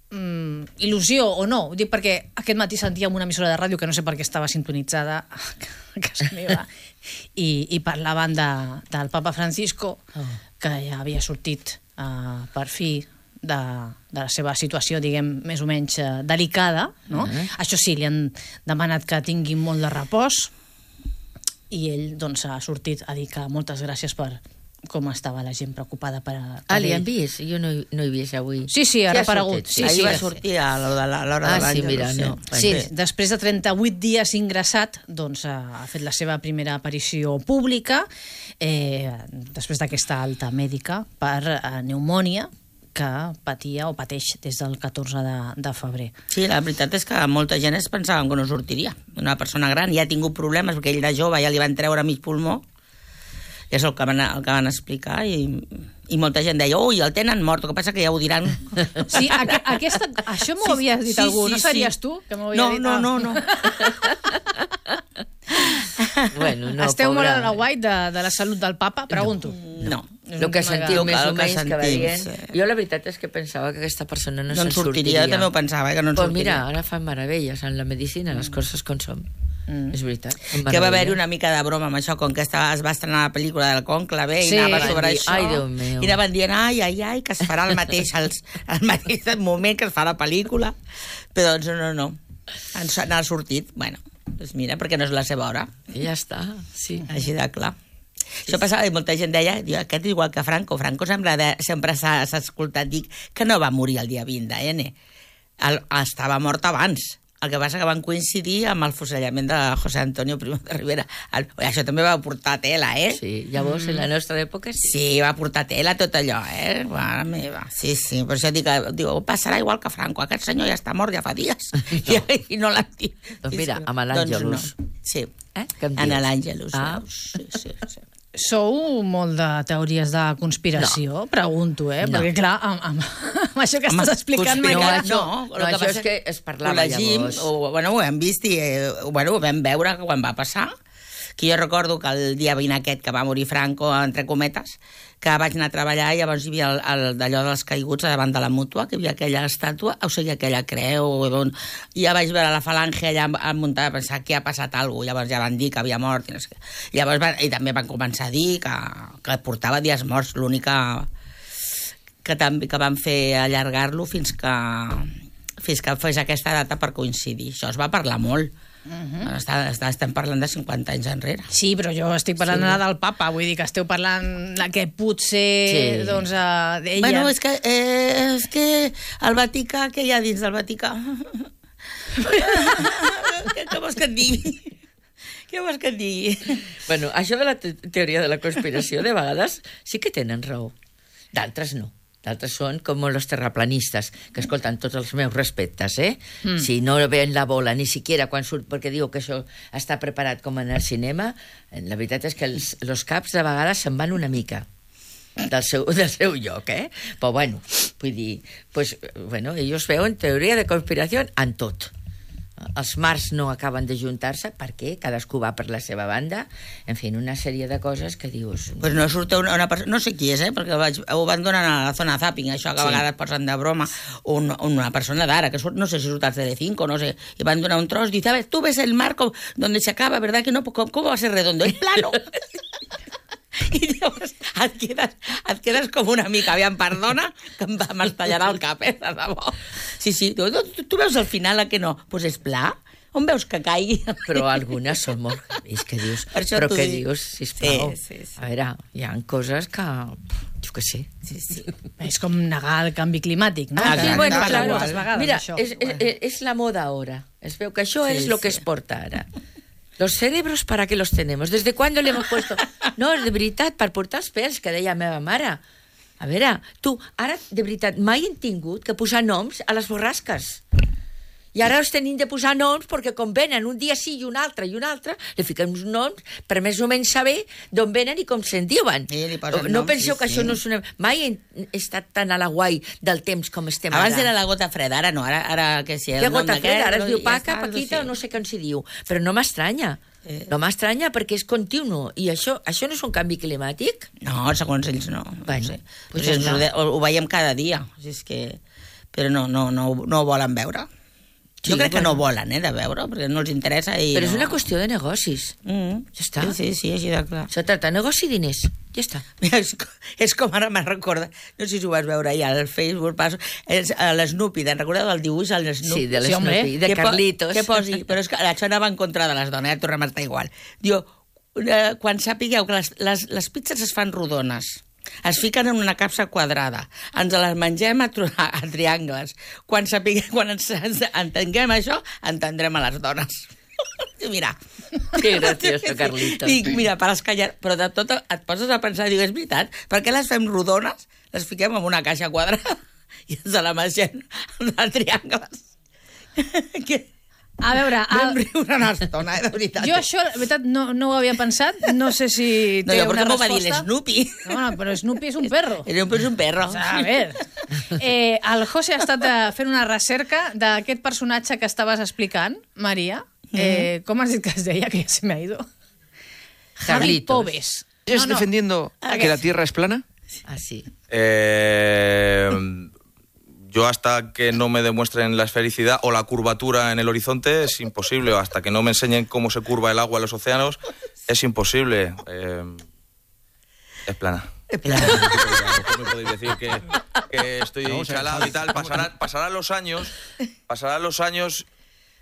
il·lusió o no? Ho dic perquè aquest matí sentíem una emissora de ràdio que no sé per què estava sintonitzada a casa meva i parlaven del Papa Francisco, que ja havia sortit per fi de la seva situació, diguem, més o menys delicada, no? Això sí, li han demanat que tingui molt de repòs i ell, doncs, ha sortit a dir que moltes gràcies per com estava la gent preocupada per ell. Li han vist? Jo no he vist avui. Sí, ha reparegut. Ahir va sortir a l'hora de l'any. Sí, mira, no. Sí, després de 38 dies ingressat, doncs ha fet la seva primera aparició pública després d'aquesta alta mèdica per pneumònia que patia o pateix des del 14 de febrer. Sí, la veritat és que molta gent es pensava que no sortiria. Una persona gran ja ha tingut problemes perquè ell de jove ja li van treure mig pulmó, i és el que van explicar, i molta gent deia, ui, el tenen mort, el que passa que ja ho diran. Sí, això m'ho havies dit algú, no series tu? No. Bueno, no, esteu molt a la guai de la salut del papa? Pregunto. No. El que sentiu més o menys que va dient. Jo la veritat és que pensava que aquesta persona no se'n sortiria. Jo també ho pensava, que no en sortiria. Pues mira, ara fan meravelles en la medicina, les coses com són. És veritat. Que va haver-hi una mica de broma amb això, com que es va estrenar la pel·lícula del Conclave i anava sobre això. Ai, Déu meu. I anaven dient, ai, que es farà al mateix moment que es fa la pel·lícula. Però doncs no. N'ha sortit. Bueno, doncs mira, perquè no és la seva hora. I ja està, sí. Així de clar. Això passava i molta gent deia, aquest és igual que Franco. Franco sempre s'ha escoltat dir que no va morir el dia 20 d'N. Estava mort abans. El que passa que van coincidir amb el fusellament de José Antonio Primo de Rivera. Això també va portar tela, Sí, llavors en la nostra època sí. Sí, va portar tela tot allò, Mare meva. Sí, per això dic, passarà igual que Franco. Aquest senyor ja està mort ja fa dies. I no l'han dit. Doncs mira, amb l'Àngelus. Sí, en l'Àngelus. Sí. Sou molt de teories de conspiració? No. Pregunto, perquè clar, amb això que estàs explicant... Això és que es parlava llavors. Ho hem vist i ho vam veure quan va passar, que jo recordo que el dia 20 aquest que va morir Franco, entre cometes, que vaig anar a treballar i llavors hi havia d'allò dels caiguts davant de la Mútua, que hi havia aquella estàtua, o sigui, aquella creu, i ja vaig veure la falange allà muntada, pensar que ha passat alguna cosa, llavors ja van dir que havia mort, i no sé què. Llavors i també van començar a dir que portava dies morts, l'única que van fer allargar-lo fins que fes aquesta data per coincidir. Això es va parlar molt. Estem parlant de 50 anys enrere. Sí, però jo estic parlant ara del papa, vull dir que esteu parlant que potser, doncs, d'ella... Bueno, és que el Vaticà, què hi ha dins del Vaticà? Què vols que et digui? Què vols que et digui? Bueno, això de la teoria de la conspiració, de vegades sí que tenen raó. D'altres no. D'altres són com els terraplanistes, que escolten tots els meus respectes, Si no ven la bola, ni siquiera quan surt, perquè diu que això està preparat com en el cinema, la veritat és que els caps de vegades se'n van una mica del seu lloc, Però bueno, vull dir, ells veuen teoria de conspiració en tot. Els mars no acaben de juntar-se perquè cadascú va per la seva banda, en fi, una sèrie de coses que dius... Pues no surt una persona, no sé qui és, perquè ho van donar a la zona zapping, això que a vegades posen de broma, una persona d'ara, que surt, no sé si surt al CD5, no sé, i van donar un tros, dice, a ver, tú ves el mar donde se acaba, ¿verdad que no? ¿Cómo va a ser redondo? Es plano. I llavors et quedes com una mica, aviam, perdona, que m'estallarà el cap, de debò. Sí, tu veus al final que no? Doncs és pla? On veus que caigui? Però algunes són molt... És que dius... Però què dius, sisplau? Sí. A veure, hi ha coses que... Jo què sé. Sí. És com negar el canvi climàtic, no? Aquí, bueno, claro. Vegades, mira, això. és la moda ara. Es veu que això és el que es porta ara. Los cerebros, ¿para qué los tenemos? ¿Desde cuándo le hemos puesto? No, de veritat, per portar els pèls, que deia la meva mare. A veure, tu, ara, de veritat, mai hem tingut que posar noms a les borrasques. I ara els tenim de posar noms perquè com venen un dia sí i un altre, li fiquem uns noms per més o menys saber d'on venen i com se'n diuen. No penseu que això no és una... Mai he estat tan a la guai del temps com estem ara. Abans era la gota freda, ara no, ara que sí. La gota freda, ara es diu Paca, Paquita, o no sé com s'hi diu. Però no m'estranya. No m'estranya perquè és continu. I això no és un canvi climàtic? No, segons ells no. Bueno, pues ho veiem cada dia. Però no ho volen veure. Jo crec que no volen, de veure, perquè no els interessa. Però és una qüestió de negocis. Ja està. Sí, així de clar. Se tracta de negoci i diners. Ja està. És com ara me'n recorda, no sé si ho vas veure ahir al Facebook, l'Snoopy, te'n recordeu del dibuix al Snoopy? Sí, de l'Snoopy, de Carlitos. Que posi, però és que això anava en contra de les dones, ja tornem a estar igual. Diu, quan sapigueu que les pizzas es fan rodones, es fiquen en una capsa quadrada, ens les mengem a triangles. Quan ens entenguem això, entendrem a les dones. Mira. Que gracioso, Carlitos. Dic, mira, per escallar... Però de tot et poses a pensar, dic, és veritat, per què les fem rodones, les fiquem en una caixa quadrada i ens la mengem a triangles? A veure... Vam riure una estona, de veritat. Jo això, de veritat, no ho havia pensat. No sé si té una resposta. No, va dir l'Snoopy. No, però Snoopy és un perro. És un perro. A veure, el José ha estat fent una recerca d'aquest personatge que estaves explicant, Maria. Com has dit que es deia, que ja se me ha ido? Javi Pobes. ¿Estás defendiendo que la Tierra es plana? Ah, sí. Yo hasta que no me demuestren la esfericidad o la curvatura en el horizonte es imposible, o hasta que no me enseñen cómo se curva el agua en los océanos es imposible. Es plana. Es plana. No me podéis decir que estoy chalado y tal. Pasarán los años,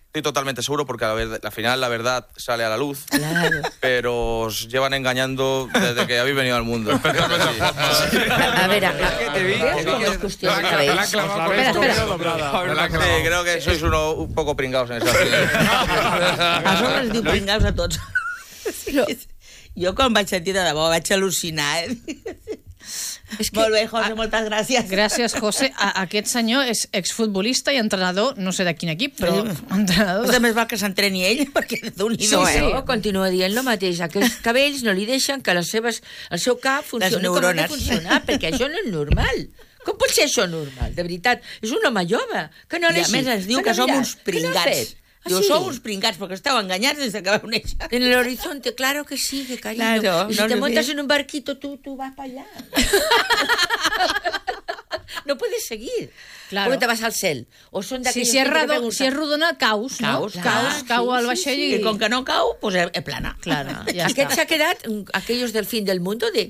estoy totalmente seguro, porque al final la verdad sale a la luz, claro. Pero os llevan engañando desde que habéis venido al mundo. A ver, creo que sois un poco pringados en esa A sobre es diu pringados a tots. Jo quan vaig sentir de debò vaig al·lucinar, Molt bé, José, moltes gràcies. Gràcies, José. Aquest senyor és exfutbolista i entrenador, no sé de quin equip, però entrenador. També va que s'entreni ell, perquè Déu-n'hi-do, continua dient el mateix. Aquests cabells no li deixen que el seu cap funcioni com ha de funcionar, perquè això no és normal. Com pot ser això normal? De veritat, és un home jove. Que no I a més ens diu que som uns pringats. Diu, sou uns pringats, perquè esteu enganyats des que vau néixer. En el horizonte, claro que sí, que cariño. Claro, y si te montas en un barquito, tú vas para allá. No puedes seguir. Claro. ¿Cómo te vas al cel? O són d'aquells si és rodona, caus, no? Cau al vaixell i... I com que no cau, pues és plana. Claro, ja Aquest s'ha quedat, aquellos del fin del mundo de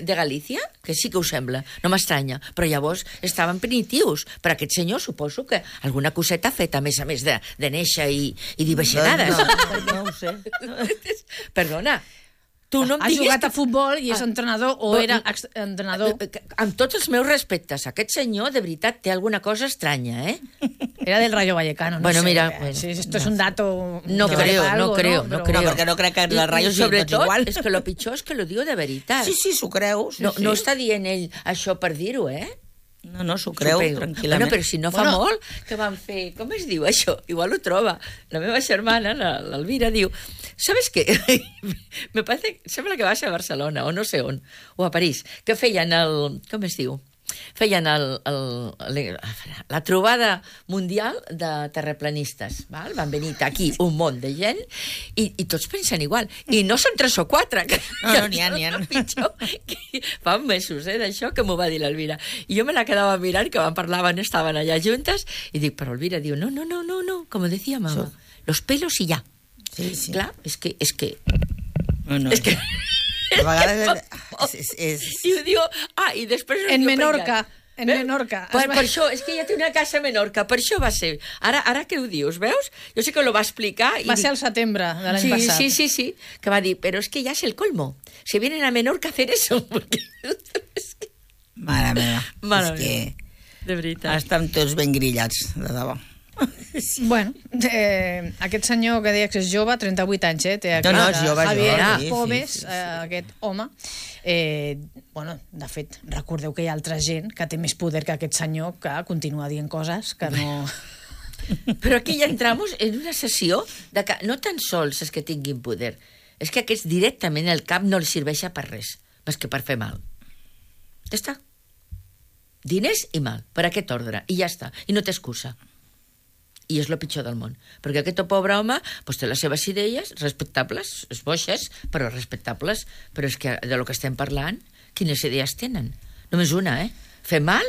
Galícia, que sí que ho sembla, no m'estranya, però llavors estaven primitius. Per aquest senyor suposo que alguna coseta feta, a més de néixer i dir baixinades. No ho sé. Perdona, tu no em ha diguis... jugat a futbol i és entrenador o era entrenador. Amb tots els meus respectes, aquest senyor de veritat té alguna cosa estranya, eh? Era del Rayo Vallecano, no bueno, sé. Mira, si esto es un dato... No creo. No, perquè no crec que la Rayo sigui tot igual. És que lo pitjor és que lo diu de veritat. Sí, s'ho creu. No està dient ell això per dir-ho, eh? No, s'ho creu, tranquil·lament. Bueno, però si no fa molt, que van fer... Com es diu això? Igual ho troba. La meva germana, l'Elvira, diu... ¿Sabes qué? Me parece... Sembla que vas a Barcelona, o no sé on, o a París, que feien el... Com es diu? Feien la trobada mundial de terraplanistes. Val? Van venir aquí un munt de gent i tots pensen igual. I no són 3 o 4. No, n'hi ha. Pitjor, fa mesos, d'això, que m'ho va dir l'Elvira. I jo me la quedava mirant, que estaven allà juntes, i dic, però Elvira diu, no, como decía mamá, los pelos y ya. Sí. Clar, és que... No. És que... A vegades I ho diu... i després... En Menorca. En Menorca. Per això, és que ja té una casa a Menorca, per això va ser. Ara que ho dius, veus? Jo sé que lo va explicar. Va ser al setembre de l'any passat. Sí, que va dir, però és que ja és el colmo. Se vienen a Menorca a hacer eso. Mare meva. És que... De veritat. Estan tots ben grillats, de debò. Bueno, aquest senyor que deia que és jove, 38 anys, té aquí, és jove, Javier Pobes, aquest home. Bueno, de fet, recordeu que hi ha altra gent que té més poder que aquest senyor, que continua dient coses que no... Però aquí ja entramos en una sessió de que no tan sols és que tinguin poder, és que aquests directament el cap no els serveix per res, més que per fer mal. Ja està. Diners i mal, per aquest ordre, i ja està, i no té excusa. I és el pitjor del món. Perquè aquest pobre home té les seves idees respectables, boixes, però respectables. Però és que de lo que estem parlant, quines idees tenen? Només una, Fer mal,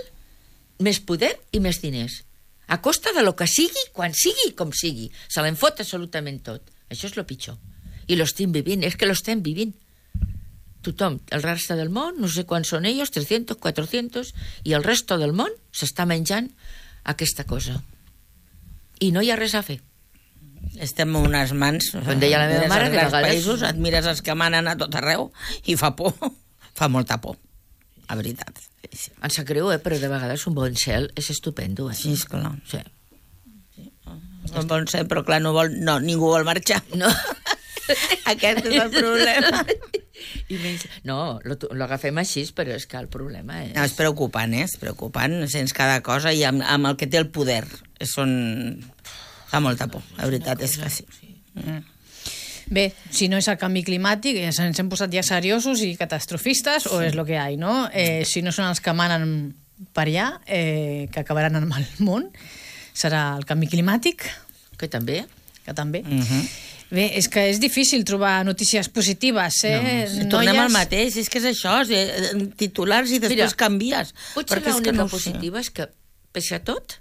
més poder i més diners. A costa de lo que sigui, quan sigui, com sigui. Se l'enfot absolutament tot. Això és el pitjor. I lo estem vivint, és que lo estem vivint. Tothom, el reste del món, no sé quants són ells, 300, 400, i el resto del món s'està menjant aquesta cosa. I no hi ha res a fer. Estem a unes mans. Com deia la meva mare, de vegades... Països, et mires els que manen a tot arreu i fa por. Fa molta por, a veritat. Sí. Em sap greu, però de vegades un bon cel és estupendo. Sí, esclar. Sí. Un bon cel, però clar, ningú vol marxar. No. Aquest és el problema. No, l'agafem així, però és que el problema és... No, és preocupant, és preocupant. Sents cada cosa i amb el que té el poder. Fa molta por, la veritat és que sí. Bé, si no és el canvi climàtic, ens hem posat ja seriosos i catastrofistes, o és el que hi ha, no? Si no són els que manen per allà, que acabaran amb el món, serà el canvi climàtic. Que també. Bé, és que és difícil trobar notícies positives, Tornem al mateix, és que és això, titulars i després canvies. Potser l'única positiva és que, pese a tot,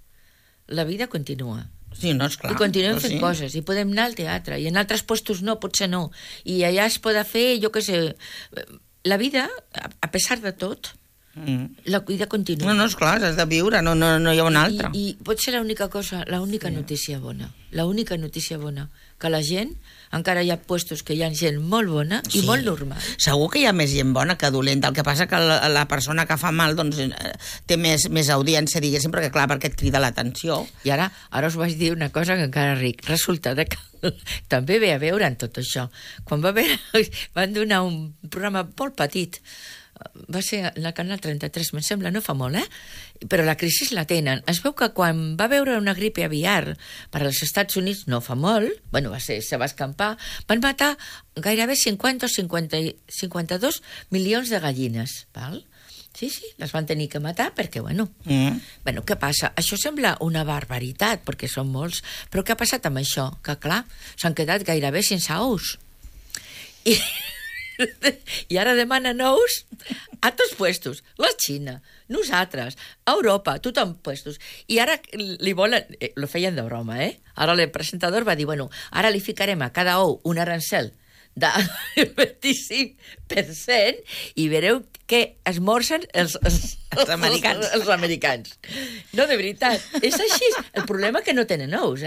la vida continua. Sí, no, esclar. I continuem fent coses, i podem anar al teatre, i en altres puestos no, potser no. I allà es pot fer, jo què sé... La vida, a pesar de tot, la vida continua. No, esclar, has de viure, no hi ha una altra. I pot ser l'única cosa, l'única notícia bona, que la gent, encara hi ha puestos que hi ha gent molt bona i molt normal. Segur que hi ha més gent bona que dolenta, el que passa que la persona que fa mal doncs, té més audiència, diguéssim, perquè clar, perquè et crida l'atenció. I ara us vaig dir una cosa que encara ric. Resulta que també ve a veure en tot això. Quan van donar un programa molt petit, va ser en el canal 33, me'n sembla, no fa molt, però la crisi la tenen. Es veu que quan va veure una gripe aviar per als Estats Units, no fa molt, se va escampar, van matar gairebé 50 o 52 milions de gallines, val? Sí, les van tenir que matar perquè, què passa? Això sembla una barbaritat, perquè són molts, però què ha passat amb això? Que, clar, s'han quedat gairebé sense ous. I ara demanen ous a tots puestos. La Xina, nosaltres, Europa, tothom puestos. I ara li volen... Lo feien de broma, Ara el presentador va dir, bueno, ara li ficarem a cada ou un arancel del 25% i veureu que esmorzen els americans. Els americans. No, de veritat, és així. El problema és que no tenen ous,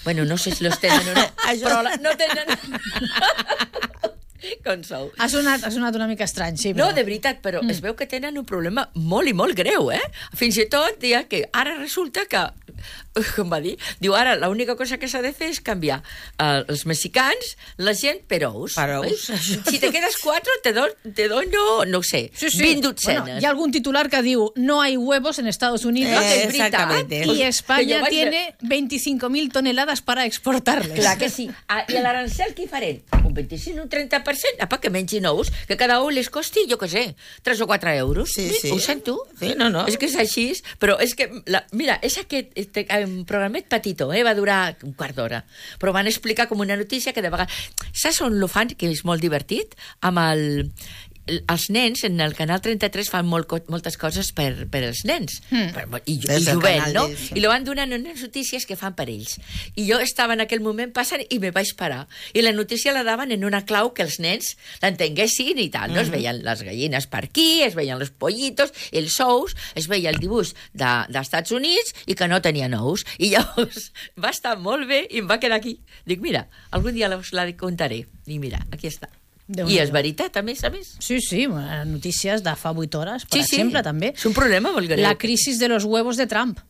Bueno, no sé si los tenen o no, però no tenen... Com sou. Ha sonat una mica estrany, sí. Però... No, de veritat, però es veu que tenen un problema molt i molt greu, Fins i tot, dia que ara resulta que, com va dir, diu, ara l'única cosa que s'ha de fer és canviar els mexicans, la gent per ous. Per ous. Si te quedes 4, te doy no sé, 20 dotzenes. Bueno, hi ha algun titular que diu no hay huevos en Estados Unidos, es veritat. Y España tiene 25.000 toneladas para exportarles. Clar que sí. I l'arancel què hi farem? Un 25, un 30%? Apa, que mengin ous, que cada ou les costi, jo què sé, 3 o 4 euros. Sí. Ho sento? Sí, no. És que és així, però és que, mira, és aquest programet petitó, va durar un quart d'hora, però van explicar com una notícia que de vegades... Saps on lo fan, que és molt divertit? Amb els nens, en el Canal 33 fan moltes coses per els nens, i jovent, no? I lo van donant unes notícies que fan per ells. I jo estava en aquell moment passant i me vaig parar. I la notícia la daven en una clau que els nens l'entenguessin i tal, no? Es veien les gallines per aquí, es veien els pollitos, els ous, es veia el dibuix dels Estats Units i que no tenien ous. I llavors va estar molt bé i em va quedar aquí. Dic, mira, algun dia us la contaré. I mira, aquí està. I és veritat, a més. Sí, notícies de fa 8 hores, per exemple, també. És un problema molt greu. La crisis de los huevos de Trump.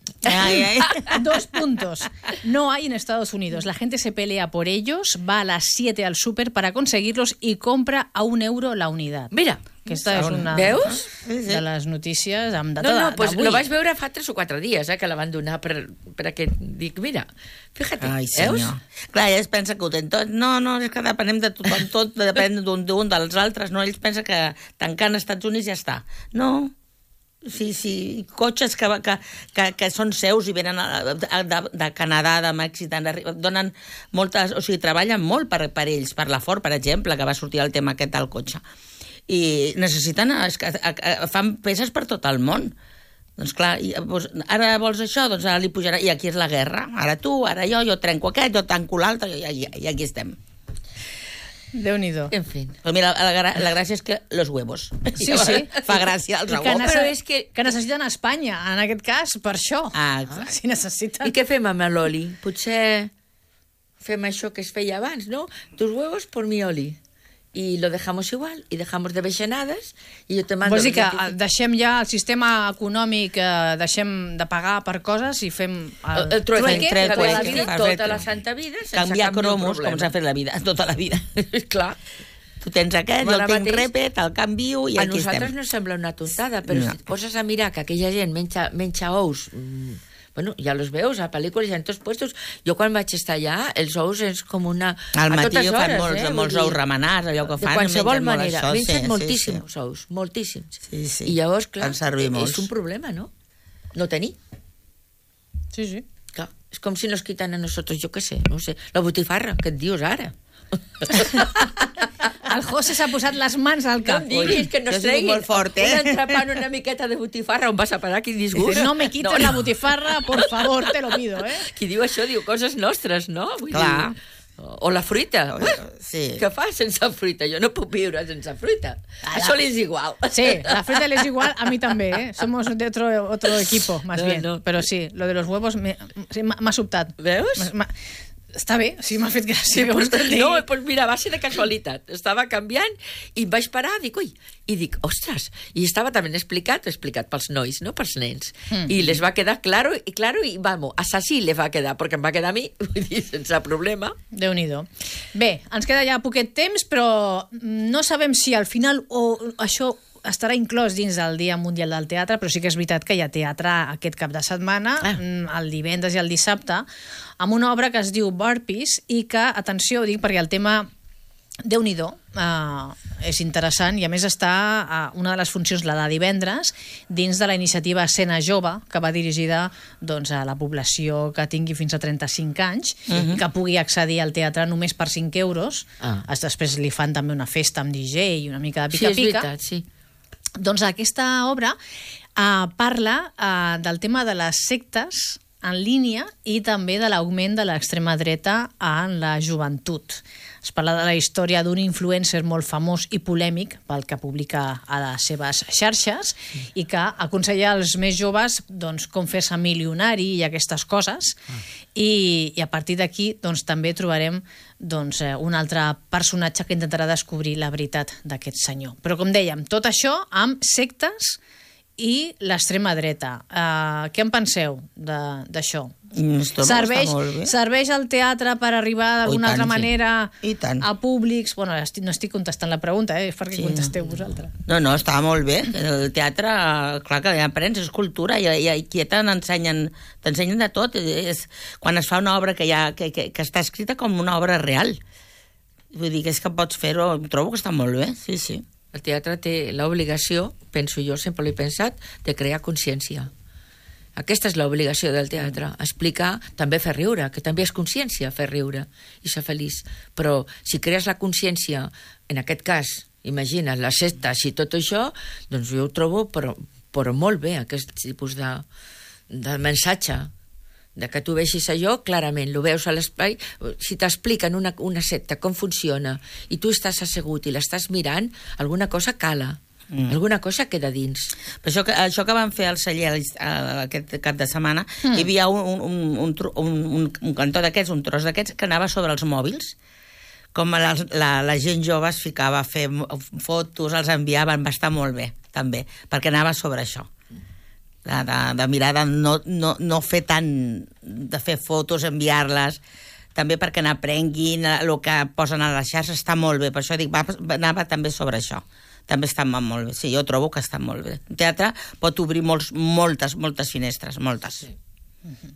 2 puntos. No hay en Estados Unidos. La gente se pelea por ellos, va a las 7 al súper para conseguirlos y compra a €1 la unidad. Mira, aquesta és una de les notícies amb data d'avui. No, pues d'avui. Lo vaig veure fa 3 o 4 dies, que la van donar per aquest... Dic, mira, fíjate, ai, veus? Clar, ells pensen que ho tenen tot. No, és que depenem de tothom, tot depèn d'un dels altres, no? Ells pensen que tancant als Estats Units ja està. No, sí, cotxes que són seus i venen de Canadà, de Mèxic, donen moltes... O sigui, treballen molt per ells, per la Ford, per exemple, que va sortir el tema aquest del cotxe. I necessiten... fan peces per tot el món. Doncs clar, ara vols això, doncs ara li pujarà... I aquí és la guerra. Ara tu, ara jo trenco aquest, jo tanco l'altre, i aquí estem. Déu-n'hi-do. En fi. Però mira, la gràcia és que los huevos. Sí. Fa gràcia els ous. Però és que necessiten Espanya, en aquest cas, per això. Exacte. Si necessiten... I què fem amb l'oli? Potser fem això que es feia abans, no? Tus huevos por mi oli. Y lo dejamos igual, y dejamos de beixanades, i jo te mando... Vols dir que deixem ja el sistema econòmic, deixem de pagar per coses i fem el trueque, tota la santa vida, sense canviar cap cromos, com s'ha fet la vida, tota la vida. Clar. Tu tens aquest, jo el tinc repet, el canvio i aquí estem. A nosaltres no sembla una tontada, però si et poses a mirar que aquella gent menja ous... Bueno, ja los veus a pel·lícules i en tots puestos. Jo quan vaig estar allà, els ous és com una... Al matí fan molts ous remenats, allò que fan. De qualsevol manera. Mengen moltíssims ous, moltíssims. Sí. I llavors, clar, és un problema, no? No tenir. Sí. Clar, és com si nos quitan a nosotros, jo què sé, no sé, la botifarra, que et dius ara. El José s'ha posat les mans al cap. No em diguis que no es tregui molt fort, un entrepà en una miqueta de botifarra on vas a parar, quin disgust. No me quites la botifarra, por favor, te lo pido, Qui diu això diu coses nostres, no? Vull Clar. Dir, o la fruita. Sí. Què fas sense fruita? Jo no puc viure sense fruita. Això li és igual. Sí, la fruita le es igual, a mí también, Somos de otro equipo, más bien. No. Pero sí, lo de los huevos m'ha sobtat. Veus? Està bé, sí, m'ha fet gràcia. Sí, pues mira, va ser de casualitat. Estava canviant i em vaig parar, dic, ostres, i estava també explicat pels nois, no pels nens. I les va quedar claro, i vamos, assassí les va quedar, perquè em va quedar a mi, vull dir, sense problema. Déu-n'hi-do. Bé, ens queda ja poquet temps, però no sabem si al final això estarà inclòs dins del Dia Mundial del Teatre, però sí que és veritat que hi ha teatre aquest cap de setmana, el divendres i el dissabte, amb una obra que es diu Burpees i que, atenció, ho dic perquè el tema Déu-n'hi-do, és interessant, i a més està una de les funcions, la de divendres, dins de la iniciativa Escena Jove, que va dirigida doncs, a la població que tingui fins a 35 anys, i que pugui accedir al teatre només per 5 euros. Després li fan també una festa amb DJ i una mica de pica-pica. Sí, és veritat, sí. Doncs aquesta obra parla del tema de les sectes en línia i també de l'augment de l'extrema dreta en la joventut. Es parla de la història d'un influencer molt famós i polèmic pel que publica a les seves xarxes i que aconsella als més joves doncs, com fer-se milionari i aquestes coses. I a partir d'aquí doncs, també trobarem doncs, un altre personatge que intentarà descobrir la veritat d'aquest senyor. Però com dèiem, tot això amb sectes i l'extrema dreta. Què en penseu d'això? Serveix el teatre per arribar d'alguna altra manera a públics? Bueno, no estic contestant la pregunta, és perquè contesteu vosaltres. No, està molt bé. El teatre, clar que aprens, és cultura, i aquí t'ensenyen de tot. Quan es fa una obra que està escrita com una obra real. Vull dir que és que pots fer-ho, trobo que està molt bé, sí. El teatre té l'obligació, penso jo, sempre l'he pensat, de crear consciència. Aquesta és l'obligació del teatre, explicar, també fer riure, que també és consciència fer riure i ser feliç. Però si crees la consciència, en aquest cas, imagina't, les sectes i tot això, doncs jo ho trobo però molt bé, aquest tipus de missatge, de que tu vegis allò, clarament, lo veus a l'espai, si t'expliquen una secta, com funciona, i tu estàs assegut i l'estàs mirant, alguna cosa cala. Alguna cosa queda dins. Però això que van fer al celler aquest cap de setmana, hi havia un cantó d'aquests, un tros d'aquests, que anava sobre els mòbils, com la gent jove es ficava a fer fotos, els enviaven, va estar molt bé, també, perquè anava sobre això. De mirar, de no fer tant, de fer fotos, enviar-les, també perquè n'aprenguin el que posen a les xarxes, està molt bé, per això dic, anava també sobre això. També està molt bé, sí, jo trobo que està molt bé. El teatre pot obrir moltes finestres, moltes.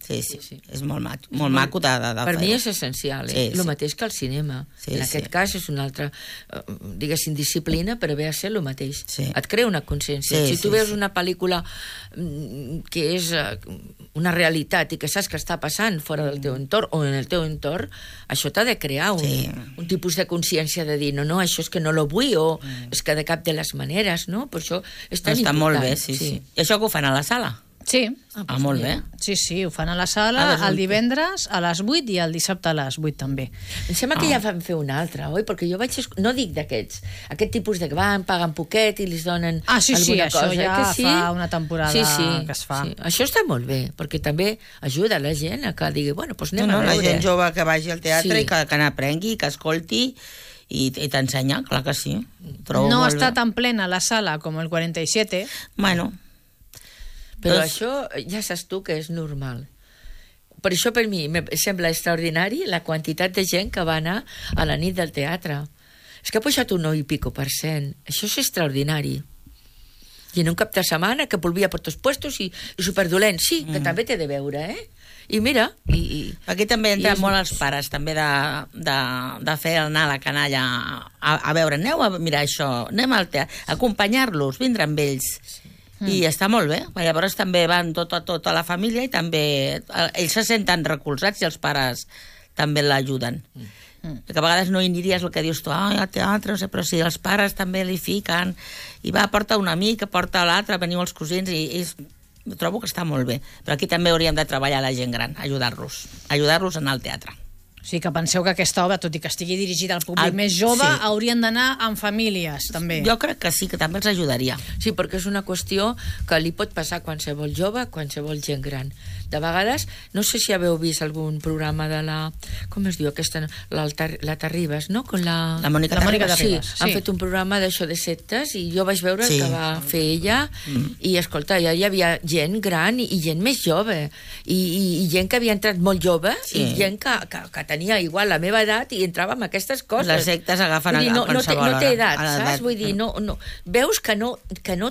Sí, és molt maco de fer-ho. Per mi és essencial, el mateix que el cinema. En aquest cas és una altra, diguéssim, disciplina, però ve a ser el mateix. Et crea una consciència. Si tu veus una pel·lícula que és una realitat i que saps que està passant fora del teu entorn o en el teu entorn, això t'ha de crear un tipus de consciència de dir, no, això és que no lo vull, o és que de cap de les maneres, no? Per això és tan important. Està molt bé, sí. I això que ho fan a la sala? Sí. Molt bé. Sí, ho fan a la sala el divendres a les 8 i el dissabte a les 8 també. Em sembla que ja van fer una altra, oi? Perquè jo no dic d'aquests, aquest tipus de que paguen poquet i li donen alguna cosa. Sí, això ja fa una temporada que es fa. Això està molt bé, perquè també ajuda la gent a que digui, bueno, doncs anem a veure. La gent jove que vagi al teatre i que n'aprengui, que escolti i t'ensenya, clar que sí. No està tan plena la sala com el 47. Bueno, però això ja saps tu que és normal. Per això per mi em sembla extraordinari la quantitat de gent que va anar a la nit del teatre. És que ha pujat un 9%. Això és extraordinari. I en un cap de setmana que volvia per tots puestos i superdolent. Sí, que també té de veure, I mira... Aquí també entren molt els pares, també de fer anar la canalla a veure, aneu a mirar això, anem al teatre, acompanyar-los, vindre amb ells. I està molt bé. Llavors també van tota la família i també ells se senten recolzats i els pares també l'ajuden. Perquè a vegades no hi aniries el que dius tu, al teatre, no sé, però si els pares també li fiquen i porta un amic, porta l'altre, veniu els cosins i trobo que està molt bé. Però aquí també hauríem de treballar la gent gran, ajudar-los a anar al teatre. O sigui que penseu que aquesta obra, tot i que estigui dirigida al públic més jove, haurien d'anar amb famílies, també. Jo crec que sí, que també els ajudaria. Sí, perquè és una qüestió que li pot passar a qualsevol jove, a qualsevol gent gran. De vegades, no sé si haveu vist algun programa de la... Com es diu aquesta? La Terribas, no? Con la Mònica Terribas. Sí, han fet un programa d'això de sectes i jo vaig veure el que va fer ella i, escolta, ja hi havia gent gran i gent més jove i gent que havia entrat molt jove i gent que tenia igual la meva edat i entrava amb aquestes coses. Les sectes agafen a qualsevol hora. No té edat, saps? Vull dir, veus que no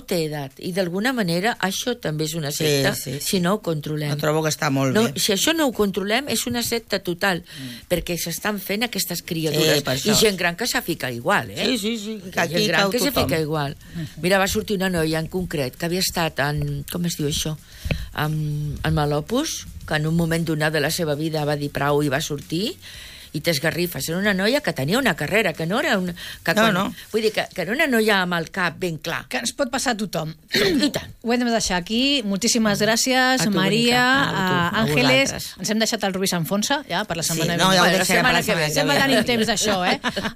té edat i d'alguna manera això també és una secta si no ho controlem. trobo que està molt bé. Si això no ho controlem, és una secta total, perquè s'estan fent aquestes criatures. I gent gran que s'ha ficat igual, Sí. Gent gran que s'ha ficat igual. Mira, va sortir una noia en concret que havia estat en... Com es diu això? En Malopus, que en un moment donat de la seva vida va dir prou i va sortir, i t'esgarrifes. Era una noia que tenia una carrera, que no era una... Vull dir, que era una noia amb el cap ben clar. Que ens pot passar a tothom. I tant. Ho hem de deixar aquí. Moltíssimes gràcies, Maria, Àngeles. Ens hem deixat el Rubí s'enfonsa, ja, per la setmana ja ho deixarem per la setmana que ve. Sempre tenim temps d'això,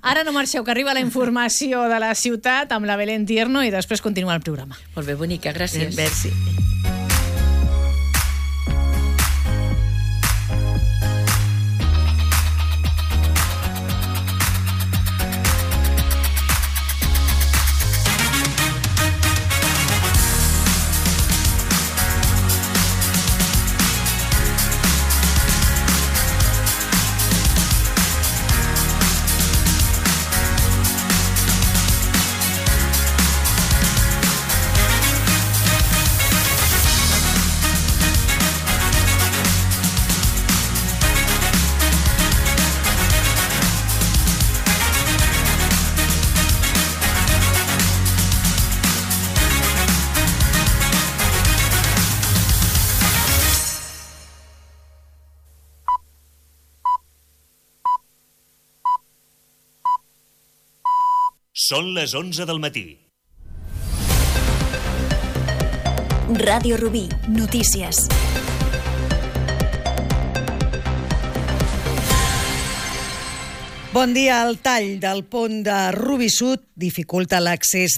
Ara no marxeu, que arriba la informació de la ciutat amb la Belén Tierno i després continua el programa. Molt bé, bonica, gràcies. Merci. Són les 11 del matí. Ràdio Rubí, notícies. Bon dia. El tall del pont de Rubí Sud dificulta l'accés de